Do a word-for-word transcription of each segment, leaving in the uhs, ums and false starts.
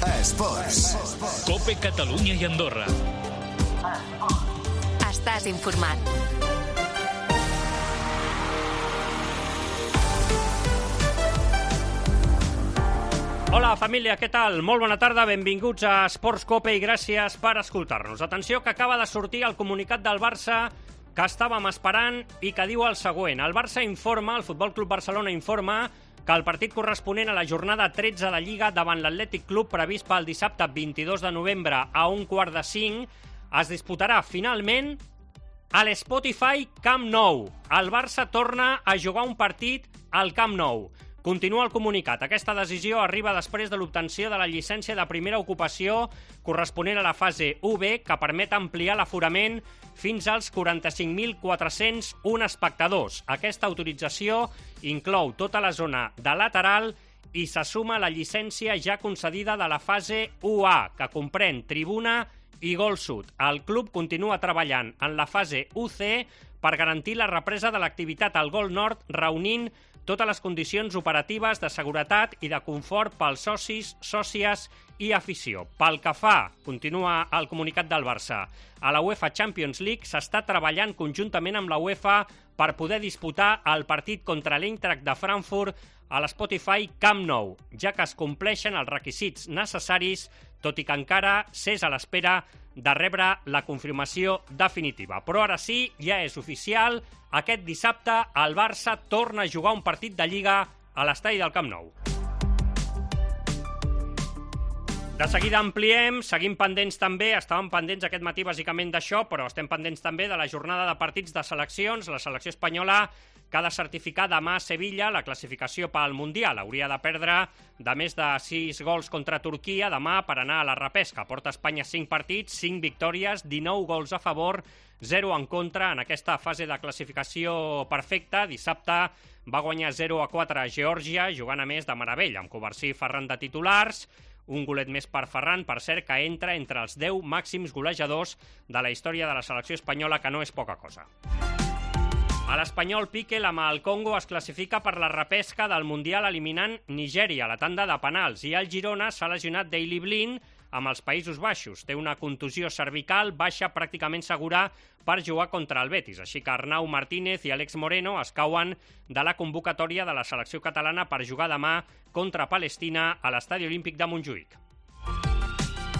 Esports. Cope Catalunya i Andorra. Estàs informat. Hola família, què tal? Molt bona tarda, benvinguts a Esports Cope i gràcies per escoltar-nos. Atenció, que acaba de sortir el comunicat del Barça que estàvem esperant i que diu el següent. El Barça informa, el Futbol Club Barcelona informa que el partit corresponent a la jornada tretze de Lliga davant l'Atlètic Club previst pel dissabte vint-i-dos de novembre a un quart de cinc es disputarà finalment a l'Spotify Camp Nou. El Barça torna a jugar un partit al Camp Nou. Continua el comunicat. Aquesta decisió arriba després de l'obtenció de la llicència de primera ocupació corresponent a la fase u be, que permet ampliar l'aforament fins als quaranta-cinc mil quatre-cents un espectadors. Aquesta autorització inclou tota la zona de lateral i se suma a la llicència ja concedida de la fase u a, que comprèn tribuna i gol sud. El club continua treballant en la fase u ce per garantir la represa de l'activitat al gol nord, reunint totes les condicions operatives de seguretat i de confort pels socis, sòcies i afició. Pel que fa, continua el comunicat del Barça, a la UEFA Champions League s'està treballant conjuntament amb la UEFA per poder disputar el partit contra l'Eintracht de Frankfurt a l'Spotify Camp Nou, ja que es compleixen els requisits necessaris, tot i que encara s'és a l'espera de rebre la confirmació definitiva. Però ara sí, ja és oficial, aquest dissabte el Barça torna a jugar un partit de Lliga a l'estadi del Camp Nou. De seguida ampliem, seguim pendents també, estàvem pendents aquest matí bàsicament d'això, però estem pendents també de la jornada de partits de seleccions. La selecció espanyola que ha de certificar demà a Sevilla la classificació pel Mundial. Hauria de perdre de més de sis gols contra Turquia demà per anar a la repesca. Porta Espanya cinc partits, cinc victòries, dinou gols a favor, zero en contra en aquesta fase de classificació perfecta. Dissabte va guanyar zero a quatre a Geòrgia, jugant a més de meravella, amb Covarsí i Ferran de titulars. Un golet més per Ferran, per cert, que entra entre els deu màxims golejadors de la història de la selecció espanyola, que no és poca cosa. A l'Espanyol, Piqué, amb el Congo, es classifica per la repesca del Mundial eliminant Nigèria, a la tanda de penals, i el Girona s'ha lesionat Daley Blind amb els Països Baixos. Té una contusió cervical baixa pràcticament segura per jugar contra el Betis, així que Arnau Martínez i Àlex Moreno es cauen de la convocatòria de la selecció catalana per jugar demà contra Palestina a l'Estadi Olímpic de Montjuïc.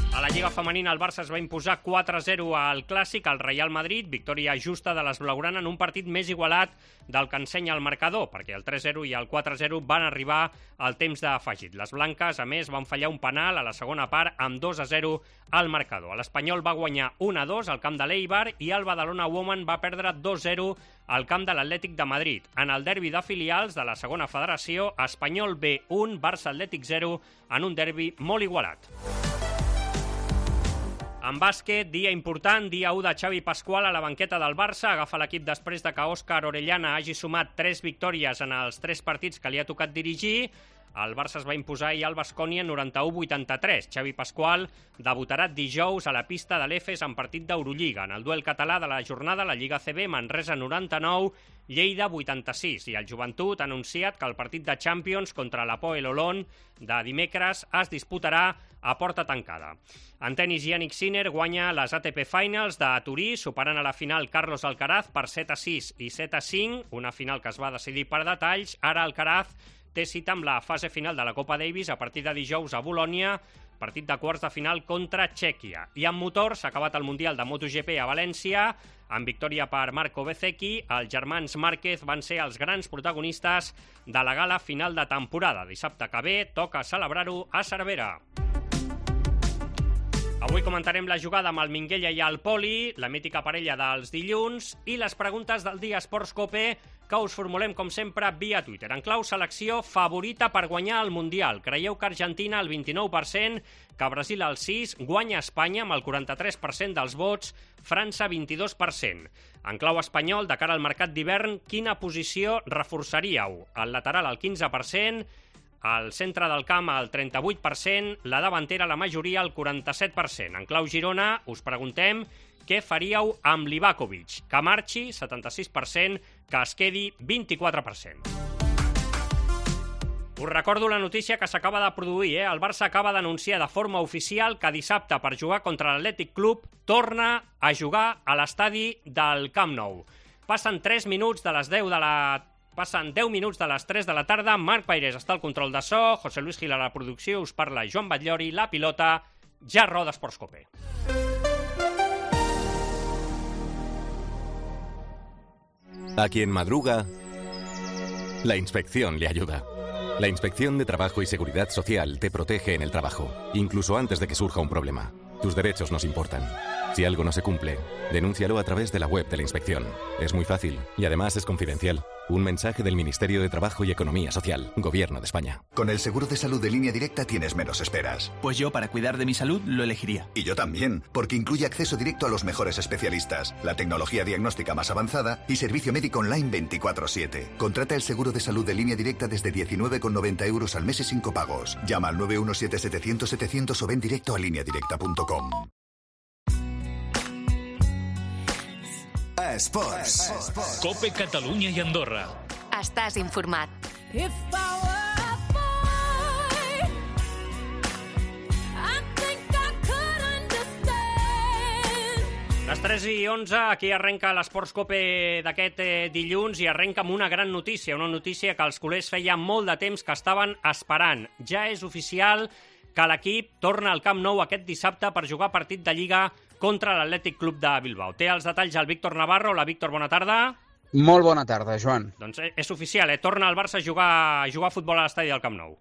A la Lliga Femenina el Barça es va imposar quatre a zero al Clàssic al Real Madrid, victòria justa de les blaugrana en un partit més igualat del que ensenya el marcador, perquè el tres a zero i el quatre a zero van arribar al temps d'afegit. Les blanques, a més, van fallar un penal a la segona part amb dos a zero al marcador. L'Espanyol va guanyar un a dos al camp de l'Eibar i el Badalona Women va perdre dos a zero al camp de l'Atlètic de Madrid. En el derbi de filials de la segona federació, Espanyol be un, Barça Atlètic zero, en un derbi molt igualat. En bàsquet, dia important, dia u de Xavi Pasqual a la banqueta del Barça. Agafa l'equip després de que Òscar Orellana hagi sumat tres victòries en els tres partits que li ha tocat dirigir. El Barça es va imposar ahir al Baskonia noranta-u a vuitanta-tres. Xavi Pasqual debutarà dijous a la pista de l'Efes en partit d'Eurolliga. En el duel català de la jornada, la Lliga ce be, Manresa noranta-nou, Lleida vuitanta-sis. I el Joventut ha anunciat que el partit de Champions contra l'Hapoel Holon de dimecres es disputarà a porta tancada. En tenis, Yannick Sinner guanya les A T P Finals de Turí, superant a la final Carlos Alcaraz per set a sis i set a cinc, una final que es va decidir per detalls. Ara Alcaraz té cita amb la fase final de la Copa Davis a partir de dijous a Bolònia, partit de quarts de final contra Txèquia. I en motor s'ha acabat el Mundial de MotoGP a València, amb victòria per Marco Bezzecchi. Els germans Márquez van ser els grans protagonistes de la gala final de temporada. Dissabte que ve toca celebrar-ho a Cervera. Avui comentarem la jugada amb el Minguella i el Poli, la mítica parella dels dilluns i les preguntes del dia Esports Cope que us formulem, com sempre, via Twitter. En clau selecció, favorita per guanyar el Mundial. Creieu que Argentina el vint-i-nou per cent, que Brasil el sis per cent, guanya Espanya amb el quaranta-tres per cent dels vots, França vint-i-dos per cent. En clau espanyol, de cara al mercat d'hivern, quina posició reforçaríeu? El lateral al quinze per cent, al centre del camp al trenta-vuit per cent, la davantera la majoria al quaranta-set per cent. En clau Girona us preguntem què faríeu amb Livakovic? Que marxi, setanta-sis per cent, que es quedi, vint-i-quatre per cent. Us recordo la notícia que s'acaba de produir. Eh? El Barça acaba d'anunciar de forma oficial que dissabte, per jugar contra l'Atlètic Club, torna a jugar a l'estadi del Camp Nou. Passen tres minuts de les deu de la... Passen deu minuts de les tres de la tarda. Marc Pairés està al control de so, José Luis Gil a la producció, us parla Joan Batllori, la pilota, ja roda Esports Cope. A quien madruga, la inspección le ayuda. La Inspección de Trabajo y Seguridad Social te protege en el trabajo, incluso antes de que surja un problema. Tus derechos nos importan. Si algo no se cumple, denúncialo a través de la web de la inspección. Es muy fácil y además es confidencial. Un mensaje del Ministerio de Trabajo y Economía Social, Gobierno de España. Con el seguro de salud de Línea Directa tienes menos esperas. Pues yo, para cuidar de mi salud, lo elegiría. Y yo también, porque incluye acceso directo a los mejores especialistas, la tecnología diagnóstica más avanzada y servicio médico online veinticuatro siete. Contrata el seguro de salud de Línea Directa desde diecinueve con noventa euros al mes y sin copagos. Llama al nueve uno siete setecientos setecientos o ven directo a línea directa punto com. Esports. Cope Catalunya i Andorra. Estàs informat. Les tres i onze, aquí arrenca l'Esports Cope d'aquest eh, dilluns i arrenca amb una gran notícia, una notícia que els culers feia molt de temps que estaven esperant. Ja és oficial que l'equip torna al Camp Nou aquest dissabte per jugar partit de Lliga contra l'Atlètic Club de Bilbao. Té els detalls el Víctor Navarro. Hola, Víctor, bona tarda. Molt bona tarda, Joan. Doncs és oficial, eh? Torna el Barça a jugar, a jugar a futbol a l'estadi del Camp Nou.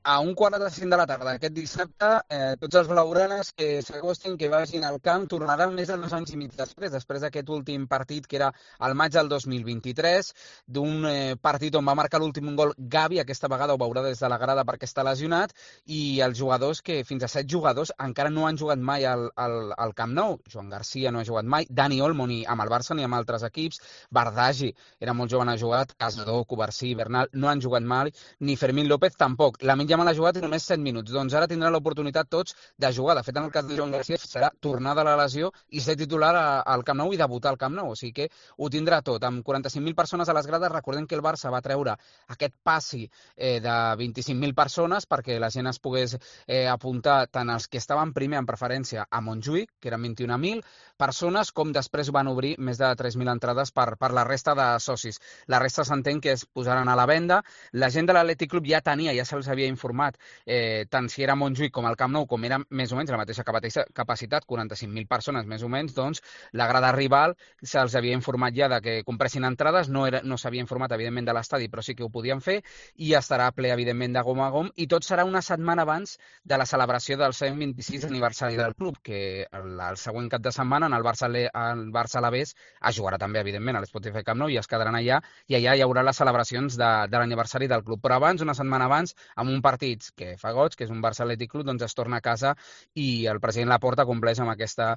A un quart de cinc de la tarda aquest dissabte, eh, tots els blaugranes que s'acostin, que vagin al camp, tornaran més de dos anys i mig després, després d'aquest últim partit que era al maig del dos mil vint-i-tres, d'un eh, partit on va marcar l'últim gol Gavi, aquesta vegada ho veurà des de la grada perquè està lesionat, i els jugadors que, fins a set jugadors, encara no han jugat mai al, al, al Camp Nou. Joan Garcia no ha jugat mai, Dani Olmo ni amb el Barça ni amb altres equips, Bardagi era molt jove, no ha jugat, Casador, Covarsí, Bernal no han jugat mai, ni Fermín López tampoc. La mitja mal ha jugat només set minuts, doncs ara tindran l'oportunitat tots de jugar. De fet, en el cas de Joan Garcia serà tornar de la lesió i ser titular a, al Camp Nou i debutar al Camp Nou, o sigui que ho tindrà tot. Amb quaranta-cinc mil persones a les grades, recordem que el Barça va treure aquest passi eh, de vint-i-cinc mil persones perquè la gent es pogués eh, apuntar tant els que estaven primer en preferència a Montjuïc, que eren vint-i-un mil persones, com després van obrir més de tres mil entrades per, per la resta de socis. La resta s'entén que es posaran a la venda. La gent de l'Atlètic Club ja tenia, ja se'ls havia informat, Eh, tant si era Montjuïc com el Camp Nou, com era més o menys la mateixa capacitat, quaranta-cinc mil persones més o menys, doncs la grada rival se'ls havia informat ja de que compressin entrades, no, era, no s'havia informat evidentment de l'estadi, però sí que ho podien fer, i estarà ple evidentment de gom a gom, i tot serà una setmana abans de la celebració del cent vint-i-sis aniversari del club, que el, el següent cap de setmana en el Barça, el Barça Alavés es jugarà també evidentment a l'Spotify Camp Nou i es quedaran allà, i allà hi haurà les celebracions de, de l'aniversari del club, però abans, una setmana abans, amb un partit que fa goig, que és un Barça Atlètic Club, doncs es torna a casa i el president Laporta compleix amb aquesta,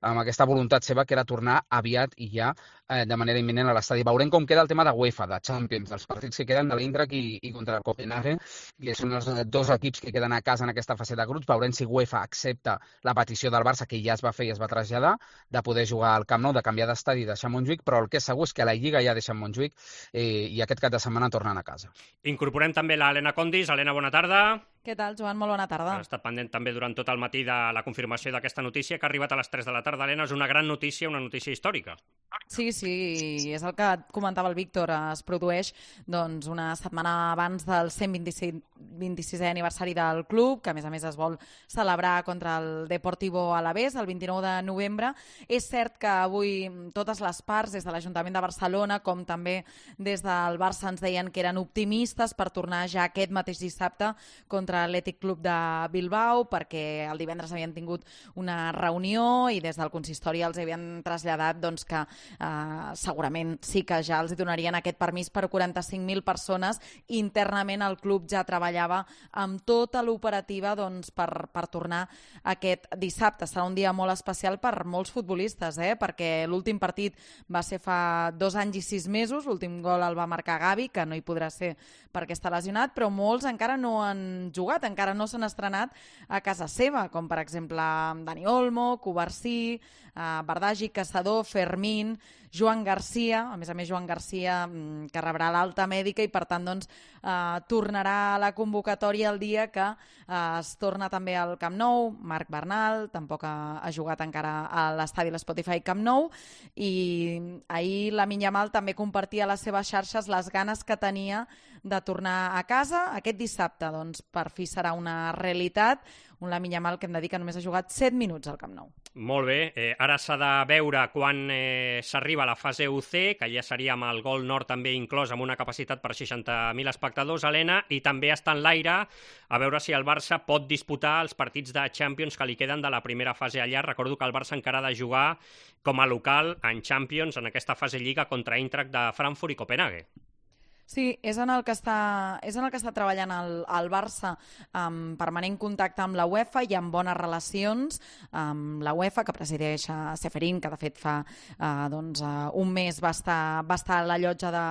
amb aquesta voluntat seva, que era tornar aviat i ja eh, de manera imminent a l'estadi. Veurem com queda el tema de UEFA, de Champions, dels partits que queden de l'Eintracht i, i contra el Copenhague, que són els dos equips que queden a casa en aquesta fase de grups. Veurem si UEFA accepta la petició del Barça, que ja es va fer i es va traslladar, de poder jugar al Camp Nou, de canviar d'estadi i deixar Montjuïc, però el que és segur és que a la Lliga ja deixen Montjuïc eh, i aquest cap de setmana tornen a casa. Incorporem també l'Helena Condis. Helena, bona tarda. Què tal, Joan? Molt bona tarda. Ha estat pendent també durant tot el matí de la confirmació d'aquesta notícia que ha arribat a les tres de la tarda. Helena, és una gran notícia, una notícia històrica. Sí, sí, és el que comentava el Víctor. Es produeix doncs, una setmana abans del cent vint-i-sisè aniversari del club, que a més a més es vol celebrar contra el Deportivo Alavés el vint-i-nou de novembre. És cert que avui totes les parts, des de l'Ajuntament de Barcelona com també des del Barça, ens deien que eren optimistes per tornar ja aquest mateix dissabte contra l'Atlètic Club de Bilbao, perquè el divendres havien tingut una reunió i des del consistori els havien traslladat doncs, que eh, segurament sí que ja els donarien aquest permís per quaranta-cinc mil persones. Internament el club ja treballava amb tota l'operativa doncs, per, per tornar aquest dissabte. Serà un dia molt especial per molts futbolistes, eh? Perquè l'últim partit va ser fa dos anys i sis mesos, l'últim gol el va marcar Gavi, que no hi podrà ser perquè està lesionat, però molts encara no han jugat, encara no s'han estrenat a casa seva, com per exemple Dani Olmo, Covarsí, eh, Bardagi, Caçador, Fermín, Joan Garcia, a més a més Joan Garcia que rebrà l'alta mèdica i per tant doncs, eh, tornarà a la convocatòria el dia que eh, es torna també al Camp Nou. Marc Bernal tampoc ha, ha jugat encara a l'estadi l'Spotify Camp Nou, i ahir Lamine Yamal també compartia a les seves xarxes les ganes que tenia de tornar a casa. Aquest dissabte doncs, per fi serà una realitat, un Lamine Yamal que hem de dir que només ha jugat set minuts al Camp Nou. Molt bé, eh, ara s'ha de veure quan eh, s'arriba a la fase U C, que ja seria amb el Gol Nord també inclòs, amb una capacitat per seixanta mil espectadors, Helena, i també està en l'aire a veure si el Barça pot disputar els partits de Champions que li queden de la primera fase allà. Recordo que el Barça encara ha de jugar com a local en Champions en aquesta fase Lliga contra Eintracht de Frankfurt i Copenhague. Sí, és en el que està, és en el que està treballant el, el Barça, amb permanent contacte amb la UEFA i amb bones relacions amb la UEFA, que presideix a Ceferin, que de fet fa eh, doncs, uh, un mes va estar, va estar a la llotja de,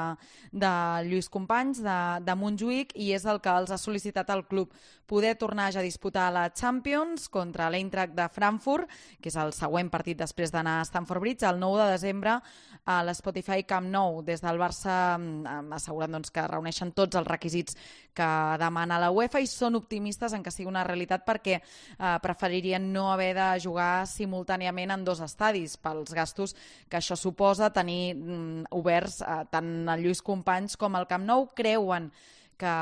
de Lluís Companys, de, de Montjuïc, i és el que els ha sol·licitat al club poder tornar ja a disputar la Champions contra l'Eintracht de Frankfurt, que és el següent partit després d'anar a Stamford Bridge, el nou de desembre a l'Spotify Camp Nou. Des del Barça asseguren doncs, que reuneixen tots els requisits que demana la UEFA i són optimistes en que sigui una realitat perquè eh, preferirien no haver de jugar simultàniament en dos estadis pels gastos que això suposa tenir mm, oberts eh, tant el Lluís Companys com el Camp Nou. Creuen que,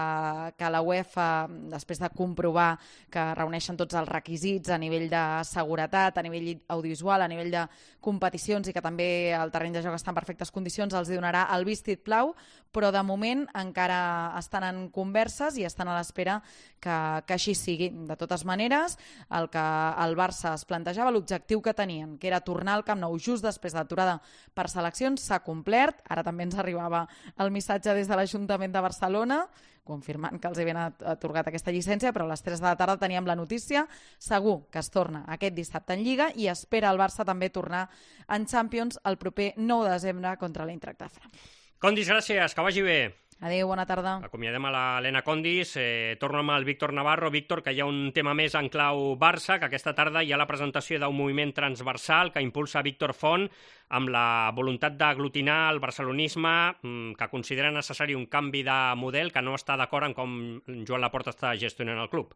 que la UEFA, després de comprovar que reuneixen tots els requisits a nivell de seguretat, a nivell audiovisual, a nivell de competicions i que també el terreny de joc està en perfectes condicions, els donarà el vestit blau, però de moment encara estan en converses i estan a l'espera que, que així sigui. De totes maneres, el que el Barça es plantejava, l'objectiu que tenien, que era tornar al Camp Nou just després de l'aturada per seleccions, s'ha complert. Ara també ens arribava el missatge des de l'Ajuntament de Barcelona, confirmant que els havien atorgat aquesta llicència, però a les tres de la tarda teníem la notícia. Segur que es torna aquest dissabte en Lliga i espera el Barça també tornar en Champions el proper nou de desembre contra l'Eintracht de Frankfurt. Condis, gràcies, que vagi bé. Adéu, bona tarda. Acomiadem a l'Helena Condis. Eh, torno amb el Víctor Navarro. Víctor, que hi ha un tema més en clau Barça, que aquesta tarda hi ha la presentació d'un moviment transversal que impulsa Víctor Font amb la voluntat d'aglutinar el barcelonisme, que considera necessari un canvi de model, que no està d'acord en com Joan Laporta està gestionant el club.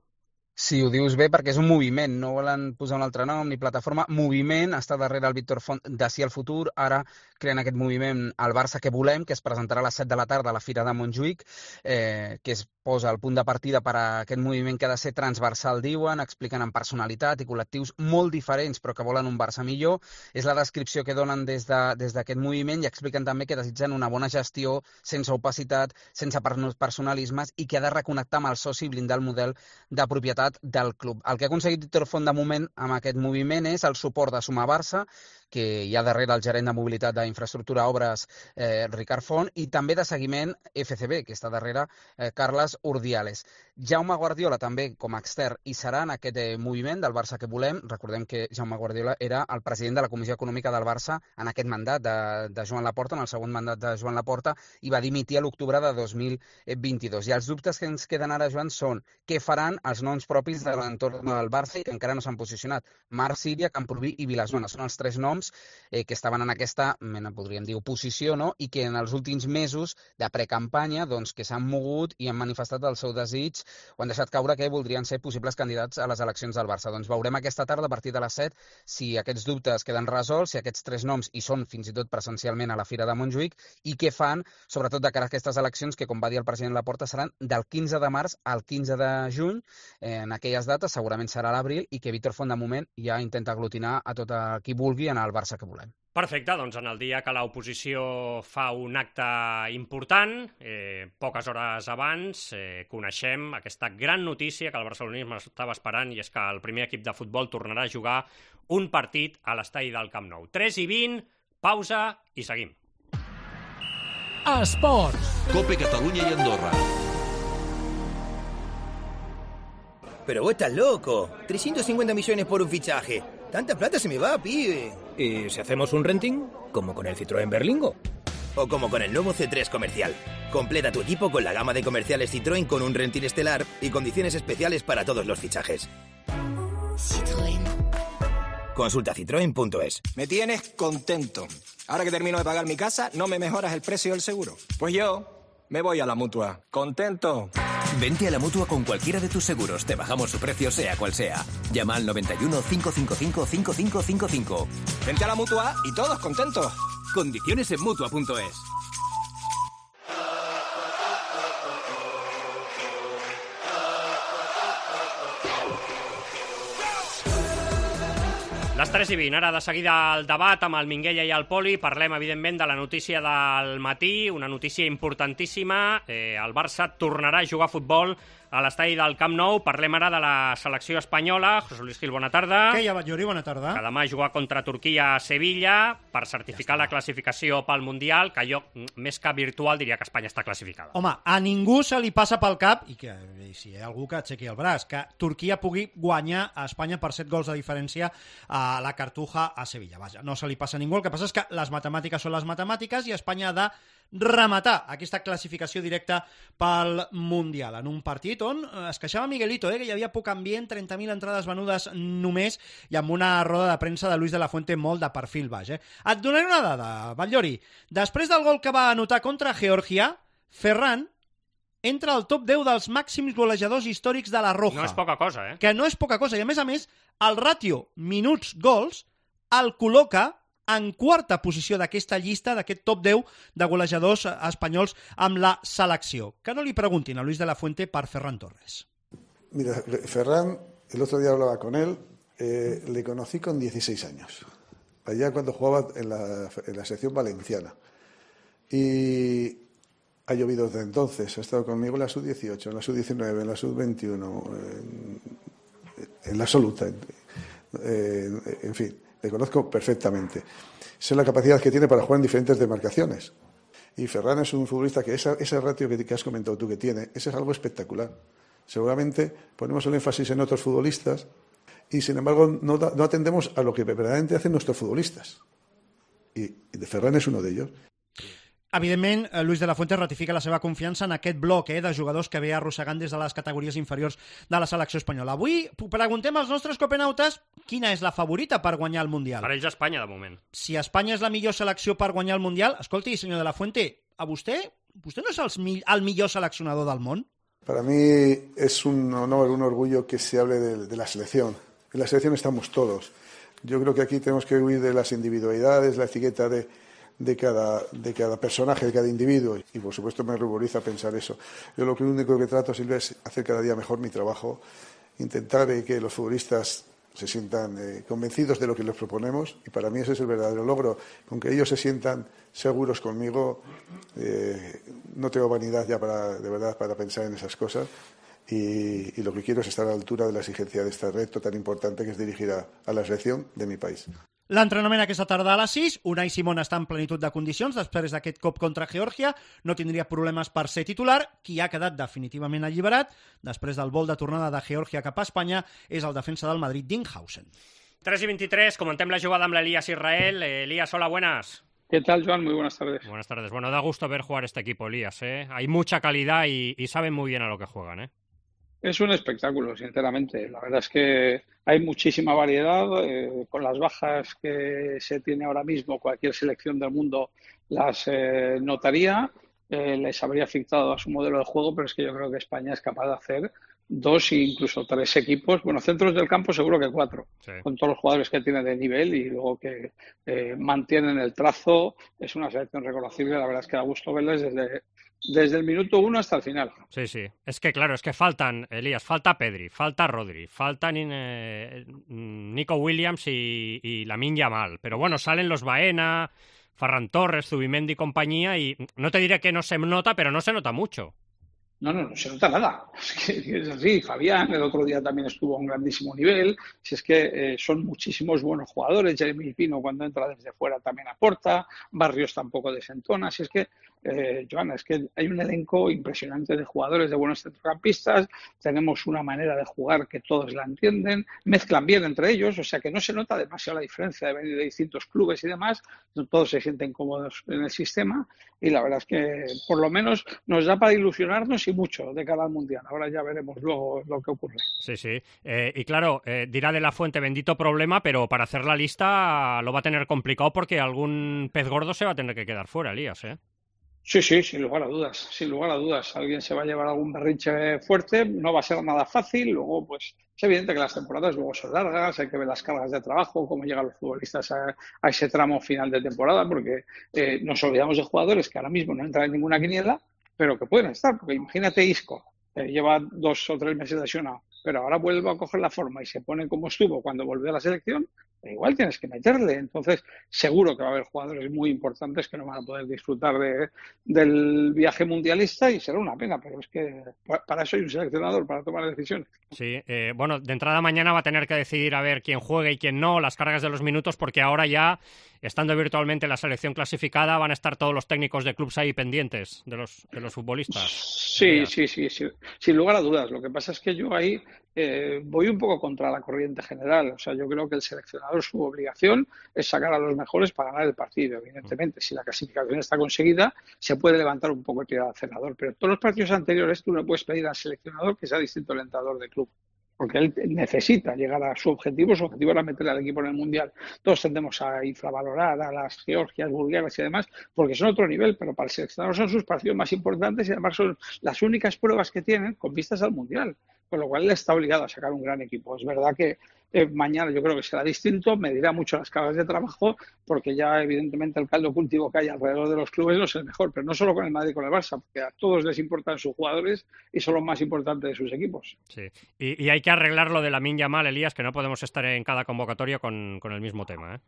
Sí, ho dius bé perquè és un moviment, no volen posar un altre nom ni plataforma. Moviment, està darrere el Víctor Font de Sí al Futur, ara creen aquest moviment El Barça que volem, que es presentarà a les set de la tarda a la Fira de Montjuïc, eh, que es posa el punt de partida per a aquest moviment que ha de ser transversal, diuen, expliquen en personalitat i col·lectius molt diferents però que volen un Barça millor. És la descripció que donen des de, des d'aquest moviment i expliquen també que desitgen una bona gestió, sense opacitat, sense personalismes i que ha de reconnectar amb el soci i blindar el model de propietat del club. El que ha aconseguit Víctor Font de moment amb aquest moviment és el suport de Sumar Barça, que hi ha darrere el gerent de mobilitat d'infraestructura Obres, eh, Ricard Font, i també de seguiment F C B, que està darrere eh, Carles Urdiales. Jaume Guardiola també com a extern hi serà en aquest eh, moviment del Barça que volem. Recordem que Jaume Guardiola era el president de la Comissió Econòmica del Barça en aquest mandat de, de Joan Laporta, en el segon mandat de Joan Laporta, i va dimitir a l'octubre de dos mil vint-i-dos. I els dubtes que ens queden ara, Joan, són què faran els noms propis de l'entorn del Barça i que encara no s'han posicionat. Marc Síria, Camprubí i Vilazona són els tres noms Eh, que estaven en aquesta, mena, podríem dir, oposició, no? I que en els últims mesos de precampanya doncs, que s'han mogut i han manifestat el seu desig o han deixat caure que voldrien ser possibles candidats a les eleccions del Barça. Doncs veurem aquesta tarda a partir de les set si aquests dubtes queden resolts, si aquests tres noms hi són fins i tot presencialment a la Fira de Montjuïc i què fan, sobretot de cara a aquestes eleccions que, com va dir el president Laporta, seran del quinze de març al quinze de juny. Eh, en aquelles dates segurament serà l'abril i que Víctor Font de moment ja intenta aglutinar a tot qui vulgui en el Barça que volem. Perfecte, doncs en el dia que l'oposició fa un acte important, eh, poques hores abans, eh, coneixem aquesta gran notícia que el barcelonisme estava esperant i és que el primer equip de futbol tornarà a jugar un partit a l'estadi del Camp Nou. tres i vint, pausa i seguim. Esports. Cope Catalunya i Andorra. Pero vos estás loco. trescientos cincuenta millones por un fichaje. Tanta plata se me va, pibe. ¿Y si hacemos un renting? Como con el Citroën Berlingo. O como con el nuevo C tres comercial. Completa tu equipo con la gama de comerciales Citroën con un Rentir estelar y condiciones especiales para todos los fichajes. Citroën. Consulta citroen punto es. Me tienes contento. Ahora que termino de pagar mi casa, ¿no me mejoras el precio del seguro? Pues yo me voy a la Mutua. ¡Contento! Vente a la Mutua con cualquiera de tus seguros. Te bajamos su precio sea cual sea. Llama al noventa y uno, cinco cinco cinco, cinco cinco cinco cinco. Vente a la Mutua y todos contentos. Condiciones en Mutua punto es. Les tres i vint, ara de seguida el debat amb el Minguella i el Poli. Parlem, evidentment, de la notícia del matí, una notícia importantíssima. Eh, el Barça tornarà a jugar a futbol a l'estadi del Camp Nou. Parlem ara de la selecció espanyola. José Luis Gil, bona tarda. Què hi ha, Batllori? Bona tarda. Que demà jugar contra Turquia a Sevilla per certificar ja la classificació pel Mundial, que jo, més que virtual, diria que Espanya està classificada. Home, a ningú se li passa pel cap, i que i si hi ha algú que aixequi el braç, que Turquia pugui guanyar a Espanya per set gols de diferència a la Cartuja a Sevilla. Vaja, no se li passa a ningú. El que passa és que les matemàtiques són les matemàtiques i Espanya ha de rematar aquesta classificació directa pel Mundial en un partit on es queixava Miguelito, eh, que hi havia poc ambient, trenta mil entrades venudes només, i amb una roda de premsa de Luis de la Fuente molt de perfil baix. Eh. Et donaré una dada, Batllori. Després del gol que va anotar contra Geòrgia, Ferran entra al top deu dels màxims golejadors històrics de la Roja. No és poca cosa, eh? Que no és poca cosa. I a més a més, el ràtio minuts-gols el col·loca en quarta posició d'aquesta llista, d'aquest top deu de golejadors espanyols amb la selecció. Que no li preguntin a Luis de la Fuente per Ferran Torres. Mira, Ferran, el otro día hablaba con él, eh, le conocí con dieciséis años, allá cuando jugaba en la, en la sección valenciana. Y ha llovido desde entonces, ha estado conmigo en la sub dieciocho, en la sub diecinueve, en la sub veintiuno, en, en la absoluta, en, en, en fin. Le conozco perfectamente. Sé la capacidad que tiene para jugar en diferentes demarcaciones. Y Ferran es un futbolista que esa, ese ratio que, que has comentado tú que tiene, ese es algo espectacular. Seguramente ponemos el énfasis en otros futbolistas y, sin embargo, no, da, no atendemos a lo que verdaderamente hacen nuestros futbolistas. Y, y de Ferran es uno de ellos. Evidentment, Luis de la Fuente ratifica la seva confiança en aquest bloc eh, de jugadors que ve arrossegant des de les categories inferiors de la selecció espanyola. Avui preguntem als nostres copenautes quina és la favorita per guanyar el Mundial. Per ells Espanya, de moment. Si Espanya és la millor selecció per guanyar el Mundial, escolti, senyor de la Fuente, a vostè, vostè no és el, el millor seleccionador del món? Para mí es un honor, un orgullo que se hable de, de la selección. En la selección estamos todos. Yo creo que aquí tenemos que huir de las individualidades, la etiqueta de De cada, de cada personaje, de cada individuo, y por supuesto me ruboriza pensar eso. Yo lo único que trato, Silvia, es hacer cada día mejor mi trabajo, intentar eh, que los futbolistas se sientan eh, convencidos de lo que les proponemos, y para mí ese es el verdadero logro. Con que ellos se sientan seguros conmigo, eh, no tengo vanidad ya para, de verdad, para pensar en esas cosas, y, y lo que quiero es estar a la altura de la exigencia de este reto tan importante que es dirigir a, a la selección de mi país. L'entrenament aquesta tarda a les sis, Unai Simón està en plenitud de condicions després d'aquest cop contra Geòrgia, no tindria problemes per ser titular. Qui ha quedat definitivament alliberat després del vol de tornada de Geòrgia cap a Espanya és el defensa del Madrid, Dinghausen. tres y veintitrés, comentem la jugada amb l'Elías Israel. Eh, Elías, hola, buenas. ¿Qué tal, Joan? Muy buenas tardes. Buenas tardes. Bueno, da gusto ver jugar este equipo, Elías, ¿eh? Hay mucha calidad y, y saben muy bien a lo que juegan, ¿eh? Es un espectáculo, sinceramente. La verdad es que hay muchísima variedad. Eh, con las bajas que se tiene ahora mismo, cualquier selección del mundo las eh, notaría. Eh, les habría afectado a su modelo de juego, pero es que yo creo que España es capaz de hacer dos e incluso tres equipos. Bueno, centros del campo seguro que cuatro, sí, con todos los jugadores que tiene de nivel y luego que eh, mantienen el trazo. Es una selección reconocible. La verdad es que da gusto verles desde... Desde el minuto uno hasta el final. Sí, sí. Es que, claro, es que faltan, Elías, falta Pedri, falta Rodri, faltan eh, Nico Williams y, y Lamine Yamal. Pero bueno, salen los Baena, Ferran Torres, Zubimendi y compañía, y no te diré que no se nota, pero no se nota mucho. No, no, no se nota nada. Es que es así. Fabián el otro día también estuvo a un grandísimo nivel. Si es que eh, son muchísimos buenos jugadores. Jeremy Pino cuando entra desde fuera también aporta. Barrios tampoco desentona. Si es que eh, Joana, es que hay un elenco impresionante de jugadores, de buenos centrocampistas, tenemos una manera de jugar que todos la entienden, mezclan bien entre ellos, o sea que no se nota demasiado la diferencia de venir de distintos clubes y demás, todos se sienten cómodos en el sistema y la verdad es que por lo menos nos da para ilusionarnos y mucho de cara al Mundial. Ahora ya veremos luego lo que ocurre. Sí, sí. Eh, y claro, eh, dirá de la Fuente, bendito problema, pero para hacer la lista lo va a tener complicado porque algún pez gordo se va a tener que quedar fuera, Elías, ¿eh? Sí, sí, sin lugar a dudas, sin lugar a dudas. Alguien se va a llevar algún berrinche fuerte, no va a ser nada fácil. Luego, pues, es evidente que las temporadas luego son largas, hay que ver las cargas de trabajo, cómo llegan los futbolistas a, a ese tramo final de temporada, porque eh, nos olvidamos de jugadores que ahora mismo no entran en ninguna quiniela, pero que pueden estar, porque imagínate Isco, eh, lleva dos o tres meses lesionado, pero ahora vuelve a coger la forma y se pone como estuvo cuando volvió a la selección, igual tienes que meterle. Entonces, seguro que va a haber jugadores muy importantes que no van a poder disfrutar de, del viaje mundialista y será una pena, pero es que para eso hay un seleccionador, para tomar decisiones. Sí, eh, bueno, de entrada mañana va a tener que decidir a ver quién juegue y quién no, las cargas de los minutos, porque ahora ya, estando virtualmente la selección clasificada, van a estar todos los técnicos de clubes ahí pendientes de los, de los futbolistas. Sí, sí, sí, sí, sin lugar a dudas. Lo que pasa es que yo ahí eh, voy un poco contra la corriente general. O sea, yo creo que el seleccionador, su obligación es sacar a los mejores para ganar el partido. Evidentemente, si la clasificación está conseguida, se puede levantar un poco el pie al acelerador. Pero en todos los partidos anteriores tú no puedes pedir al seleccionador que sea distinto al entrenador de club, porque él necesita llegar a su objetivo. Su objetivo era meter al equipo en el Mundial. Todos tendemos a infravalorar a las Georgias, Bulgarias y demás, porque son otro nivel, pero para el seleccionador son sus partidos más importantes y además son las únicas pruebas que tienen con vistas al Mundial, con lo cual él está obligado a sacar un gran equipo. Es verdad que eh, mañana yo creo que será distinto, medirá mucho las cargas de trabajo, porque ya evidentemente el caldo cultivo que hay alrededor de los clubes no es el mejor, pero no solo con el Madrid y con el Barça, porque a todos les importan sus jugadores y son los más importantes de sus equipos. Sí, y, y hay que arreglar lo de Lamine Yamal, Elías, que no podemos estar en cada convocatoria con, con el mismo tema, ¿eh?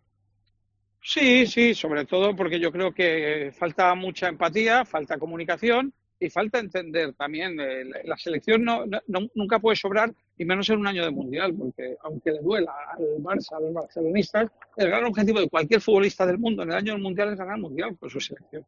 Sí, sí, sobre todo porque yo creo que falta mucha empatía, falta comunicación y falta entender también. Eh, la selección no, no, nunca puede sobrar, y menos en un año de Mundial, porque aunque le duela al Barça, a los barcelonistas, el gran objetivo de cualquier futbolista del mundo en el año del Mundial es ganar el Mundial con su selección.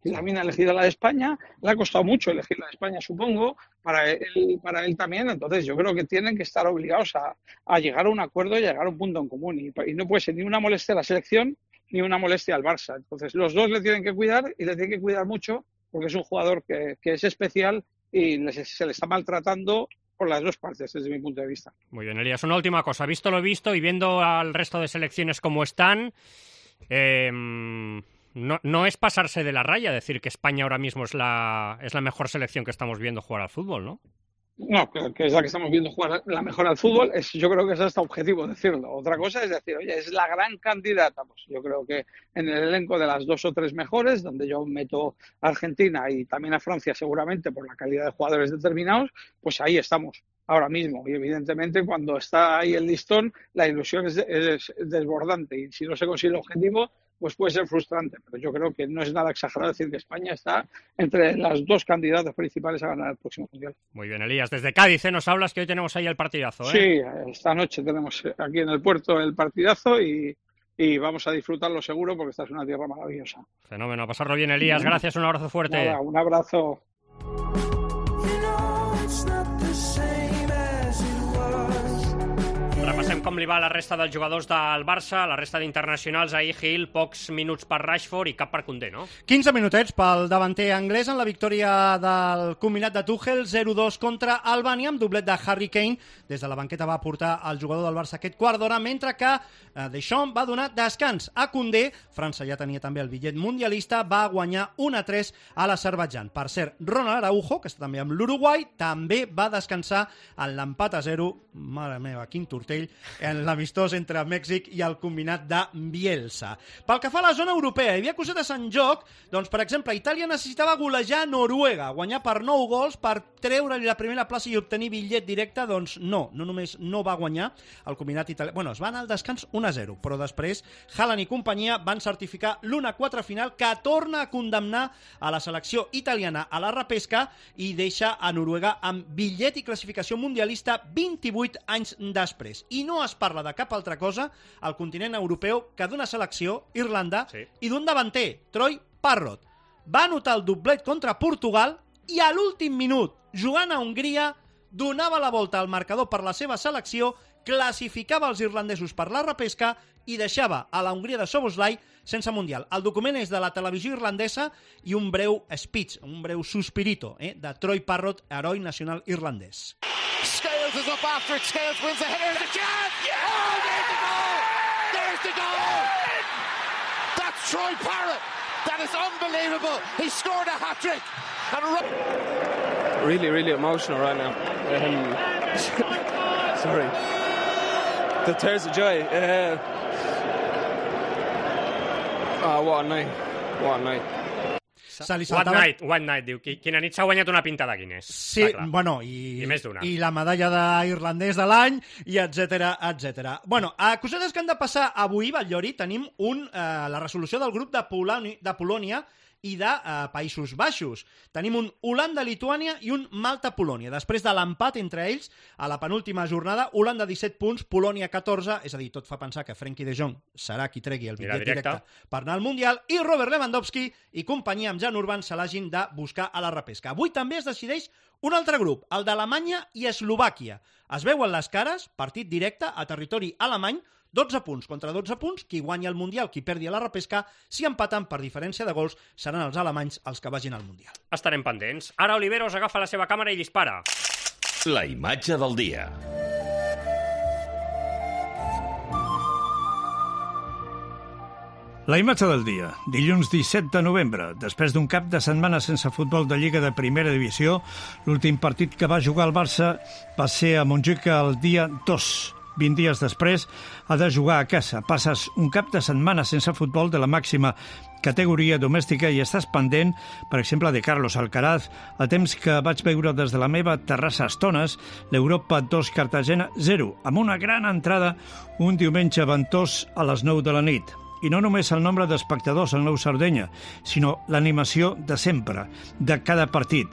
Y Lamine ha elegido la de España, le ha costado mucho elegir la de España, supongo, para él, para él también. Entonces yo creo que tienen que estar obligados a, a llegar a un acuerdo y a llegar a un punto en común. Y, y no puede ser ni una molestia a la selección ni una molestia al Barça. Entonces los dos le tienen que cuidar y le tienen que cuidar mucho, porque es un jugador que, que es especial y les, se le está maltratando por las dos partes, desde mi punto de vista. Muy bien, Elías. Una última cosa. Visto lo visto y viendo al resto de selecciones como están, eh, no, no es pasarse de la raya decir que España ahora mismo es la, es la mejor selección que estamos viendo jugar al fútbol, ¿no? No, que es la que estamos viendo jugar la mejor al fútbol. Es, yo creo que es hasta objetivo decirlo. Otra cosa es decir, oye, es la gran candidata. Pues yo creo que en el elenco de las dos o tres mejores, donde yo meto a Argentina y también a Francia seguramente por la calidad de jugadores determinados, pues ahí estamos ahora mismo. Y evidentemente cuando está ahí el listón, la ilusión es, es, es desbordante. Y si no se consigue el objetivo, pues puede ser frustrante, pero yo creo que no es nada exagerado decir que España está entre las dos candidatas principales a ganar el próximo Mundial. Muy bien, Elías. Desde Cádiz, ¿eh? Nos hablas que hoy tenemos ahí el partidazo, ¿eh? Sí, esta noche tenemos aquí en el puerto el partidazo y, y vamos a disfrutarlo seguro porque esta es una tierra maravillosa. Fenómeno, a pasarlo bien, Elías. Gracias, un abrazo fuerte. Nada, un abrazo. Repassem com li va a la resta dels jugadors del Barça, la resta d'internacionals, ahir Gil, pocs minuts per Rashford i cap per Koundé, no? quinze minutets pel davanter anglès en la victòria del combinat de Tuchel, zero dos contra Albània, amb doblet de Harry Kane. Des de la banqueta va portar el jugador del Barça aquest quart d'hora, mentre que eh, Deschamps va donar descans a Koundé. França ja tenia també el bitllet mundialista, va guanyar un a tres a l'Azerbaidjan. Per cert, Ronald Araujo, que està també amb l'Uruguai, també va descansar en l'empat a zero, mare meva, quin tortell, en l'amistós entre Mèxic i el combinat de Bielsa. Pel que fa a la zona europea, hi havia cosetes en joc, doncs, per exemple, Itàlia necessitava golejar Noruega, guanyar per nou gols per treure-li la primera plaça i obtenir bitllet directe. Doncs no, no només no va guanyar el combinat italià. Bueno, es va anar al descans un a zero, però després Haaland i companyia van certificar l'u a quatre final, que torna a condemnar a la selecció italiana a la repesca i deixa a Noruega amb bitllet i classificació mundialista vint-i-vuit anys després. I no es parla de cap altra cosa al continent europeu que d'una selecció, Irlanda, sí, i d'un davanter, Troy Parrott. va anotar el doblet contra Portugal i a l'últim minut, jugant a Hongria, donava la volta al marcador per la seva selecció, classificava els irlandesos per la repesca i deixava a la Hongria de Szoboszlai sense Mundial. El document és de la televisió irlandesa i un breu speech, un breu suspirito, eh, de Troy Parrott, heroi nacional irlandès. Scales is up after it. Scales wins the header. The chance! Yeah! Oh, there's the goal! There's the goal! That's Troy Parrott. That is unbelievable. He scored a hat-trick. And... Really, really emotional right now. Um, sorry. The tears of joy. Uh, oh, what a night. What a night. Se li What saltava... night, what night, diu. Quina nit s'ha guanyat una pinta de Guinness. Sí, bueno, i, I més d'una. i la medalla d'irlandès de l'any, i etcètera, etcètera. Bueno, a cosetes que han de passar avui, Batllori, tenim un, eh, la resolució del grup de, Polònia, de Polònia i de eh, Països Baixos. Tenim un Holanda-Lituània i un Malta-Polònia. Després de l'empat entre ells, a la penúltima jornada, Holanda disset punts, Polònia catorze, és a dir, tot fa pensar que Frenkie de Jong serà qui tregui el bitllet directe per anar al Mundial, i Robert Lewandowski i companyia amb Jan Urban se l'hagin de buscar a la repesca. Avui també es decideix un altre grup, el d'Alemanya i Eslovàquia. Es veuen les cares, partit directe a territori alemany, dotze punts contra dotze punts, qui guanya el Mundial, qui perdi a la repesca, si empaten per diferència de gols, seran els alemanys els que vagin al Mundial. Estarem pendents. Ara Oliveros agafa la seva càmera i dispara. La imatge del dia. La imatge del dia. Dilluns disset de novembre, després d'un cap de setmana sense futbol de Lliga de Primera Divisió, l'últim partit que va jugar el Barça va ser a Montjuïc el dia dos. vint dies després ha de jugar a casa. Passes un cap de setmana sense futbol de la màxima categoria domèstica i estàs pendent, per exemple, de Carlos Alcaraz, a temps que vaig veure des de la meva terrassa a estones l'Europa dos Cartagena zero, amb una gran entrada un diumenge ventós a les nou de la nit. I no només el nombre d'espectadors al Nou Sardenya, sinó l'animació de sempre, de cada partit.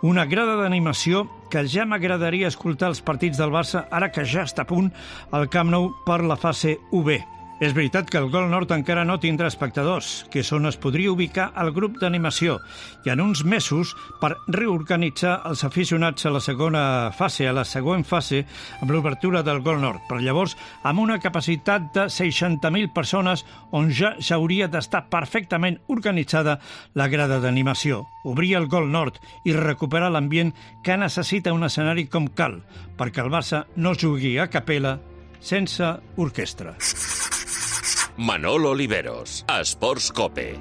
Una grada d'animació que ja m'agradaria escoltar els partits del Barça ara que ja està a punt al Camp Nou per la fase u be. És veritat que el Gol Nord encara no tindrà espectadors, que és on es podria ubicar el grup d'animació, i en uns mesos per reorganitzar els aficionats a la segona fase, a la següent fase, amb l'obertura del Gol Nord. Per llavors, amb una capacitat de seixanta mil persones, on ja s'hauria d'estar perfectament organitzada la grada d'animació. Obrir el Gol Nord i recuperar l'ambient que necessita un escenari com cal, perquè el Barça no jugui a capella sense orquestra. Manolo Oliveros, Esports Cope.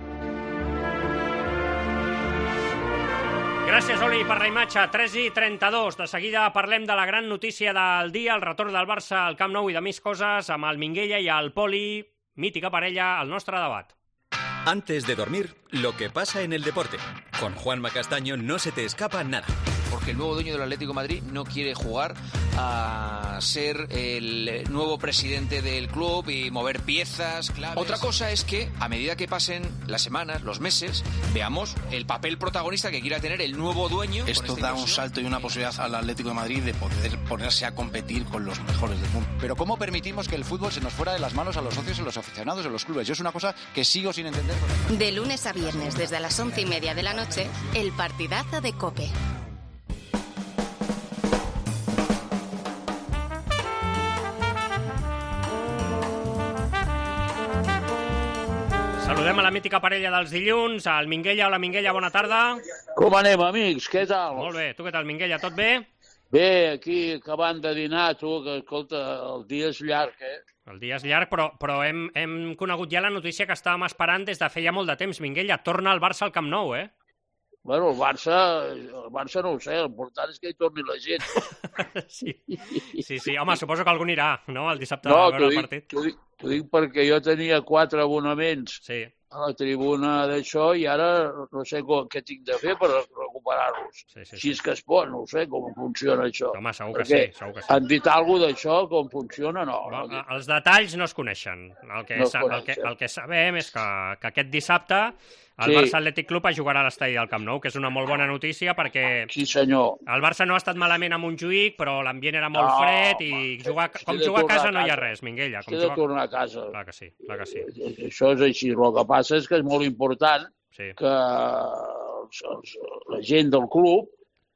Gràcies, Oli, per la imatge. tres i trenta-dos. De seguida parlem de la gran notícia del dia, el retorn del Barça al Camp Nou i de més coses amb el Minguella i el Poli, mítica parella, al nostre debat. Antes de dormir, lo que pasa en el deporte. Con Juanma Castaño no se te escapa nada. Porque el nuevo dueño del Atlético de Madrid no quiere jugar a ser el nuevo presidente del club y mover piezas claves. Otra cosa es que, a medida que pasen las semanas, los meses, veamos el papel protagonista que quiera tener el nuevo dueño. Esto da un salto y una posibilidad al Atlético de Madrid de poder ponerse a competir con los mejores del mundo. Pero ¿cómo permitimos que el fútbol se nos fuera de las manos a los socios, a los aficionados, a los clubes? Yo es una cosa que sigo sin entender. De lunes a viernes, desde las once y media de la noche, el partidazo de COPE. Saludem a la mítica parella dels dilluns, al Minguella. Hola, Minguella, bona tarda. Com anem, amics? Què tal? Molt bé. Tu què tal, Minguella? Tot bé? Bé, aquí acabant de dinar, tu, que escolta, el dia és llarg, eh? El dia és llarg, però, però hem, hem conegut ja la notícia que estàvem esperant des de feia molt de temps, Minguella. Torna el Barça al Camp Nou, eh? Bueno, el Barça, el Barça no ho sé, l'important és que hi torni la gent. sí. sí, sí, home, suposo que algun irà, no?, el dissabte no, a veure el partit. T'ho dic, t'ho dic perquè jo tenia quatre abonaments sí. a la tribuna d'això i ara no sé com, què tinc de fer per recuperar-los. Sí, sí, si sí. és que es pot, no sé com funciona això. Home, segur que perquè sí, segur que sí. Han dit alguna cosa d'això, com funciona? No. Bo, no els detalls no es coneixen. El que, no sa el que, el que sabem és que, que aquest dissabte el sí. Barça Atlètic Club es jugarà a l'estadi del Camp Nou, que és una molt bona notícia perquè sí, senyor. El Barça no ha estat malament a Montjuïc, però l'ambient era molt no, fred i home, jugar, com jugar a casa no hi ha res, Minguella. Com He de jugar... tornar a casa. Clar que sí, clar que sí. Això és així. El que passa és que és molt important sí. que els, els, la gent del club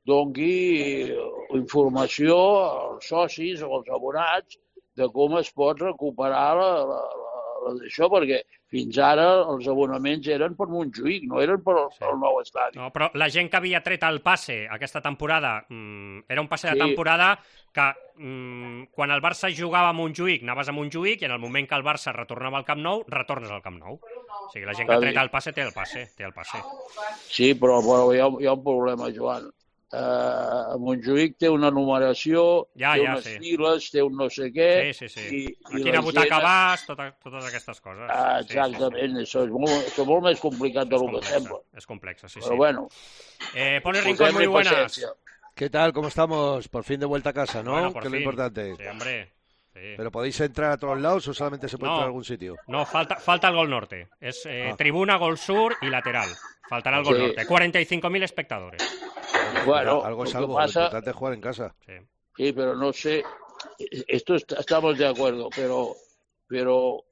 doni informació als socis o als abonats de com es pot recuperar la, la, la, la d'això, perquè fins ara els abonaments eren per Montjuïc, no eren per el, sí. el nou estadi. No, però la gent que havia tret el passe aquesta temporada, mmm, era un passe de Sí. temporada que mmm, quan el Barça jugava a Montjuïc, anaves a Montjuïc i en el moment que el Barça retornava al Camp Nou, retornes al Camp Nou. O sigui, la gent que ha tret el passe té el passe, té el passe. Sí, però, però hi, ha, hi ha un problema, Joan. Uh, Montjuïc té una numeració, ja, té ja, unes sí. files, té un no sé què... Sí, sí, sí. I, a i quina butaca gent... vas, tota, totes aquestes coses. Ah, exactament, sí, sí, sí. Això, és molt, això és molt més complicat del que sembla. Es complexa, sí, Pero sí. bueno. Eh, Poli Rincón, muy buenas. ¿Qué tal? ¿Cómo estamos? Por fin de vuelta a casa, ¿no? Bueno, por que es fin. lo importante. Sí, hombre. Sí. ¿Pero podéis entrar a todos lados o solamente se puede No. entrar a algún sitio? No, falta, falta el gol norte. Es eh, Ah. tribuna, gol sur y lateral. Faltará el gol Sí. norte. cuarenta y cinco mil espectadores. Bueno, algo es lo que algo, pasa- lo importante es jugar en casa. Sí, pero no sé, esto est- estamos de acuerdo, pero, pero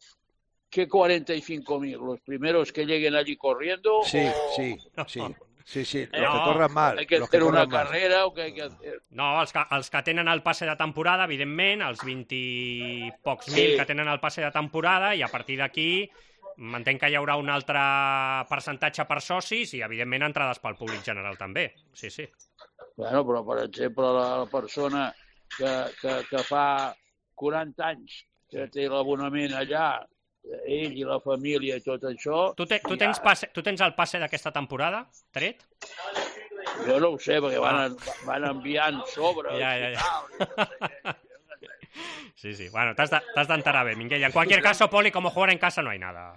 ¿qué cuarenta y cinco mil? ¿Los primeros que lleguen allí corriendo? Sí, o... sí, sí. Sí, sí, los No, que corran mal. ¿Hay que los que hacer una corran mal. carrera o qué hay que hacer? No, els que, els que tenen el passe de temporada, evidentment, els vint i pocs Sí. mil que tenen el passe de temporada, i a partir d'aquí m'entenc que hi haurà un altre percentatge per socis i, evidentment, entrades pel públic general també. Sí, sí. Bueno, però, per exemple, la, la persona que, que, que fa quaranta anys que té l'abonament allà, ell i la família i tot això... Tu, te, tu, tens, passe, tu tens el passe d'aquesta temporada, tret? Jo no ho sé, perquè van, van enviant sobres Ja, ja, i ja. tal. Sí, sí. Bueno, t'has de- t'has d'enterar bé, Minguella. En cualquier caso, Poli, como jugar en casa no hay nada.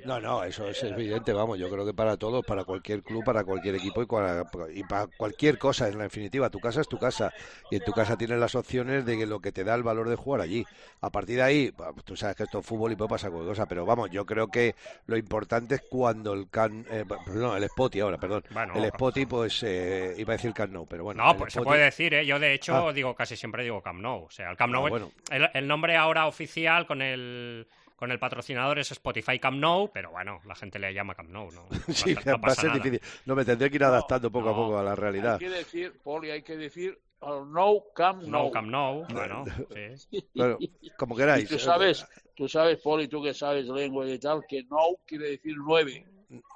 No, no, eso es evidente, vamos, yo creo que para todos, para cualquier club, para cualquier equipo y, para, y para cualquier cosa, en la definitiva, tu casa es tu casa y en tu casa tienes las opciones de que lo que te da el valor de jugar allí. A partir de ahí, pues, tú sabes que esto es fútbol y puede pasar cualquier cosa, pero vamos, yo creo que lo importante es cuando el can, eh, perdón, el Spotty ahora, perdón, Bueno, el Spotty, pues eh, iba a decir Camp Nou, pero bueno. No, el pues se Spotty- puede decir, ¿eh? Yo, de hecho, Ah. digo, casi siempre digo Camp Nou. O sea, el Camp Nou, Ah, es- bueno. el, el nombre ahora oficial con el, con el patrocinador es Spotify Camp Nou, pero bueno, la gente le llama Camp Nou, ¿no? No Sí, pasa- no va a pasa ser nada. difícil. No, me tendré que ir adaptando poco a poco a la realidad. Hay que decir, Poli, hay que decir el Nou Camp Nou. Nou Camp Nou, bueno, sí. Bueno, como Y queráis. tú sabes, tú sabes, Poli, tú que sabes lengua y tal, que Nou quiere decir nueve.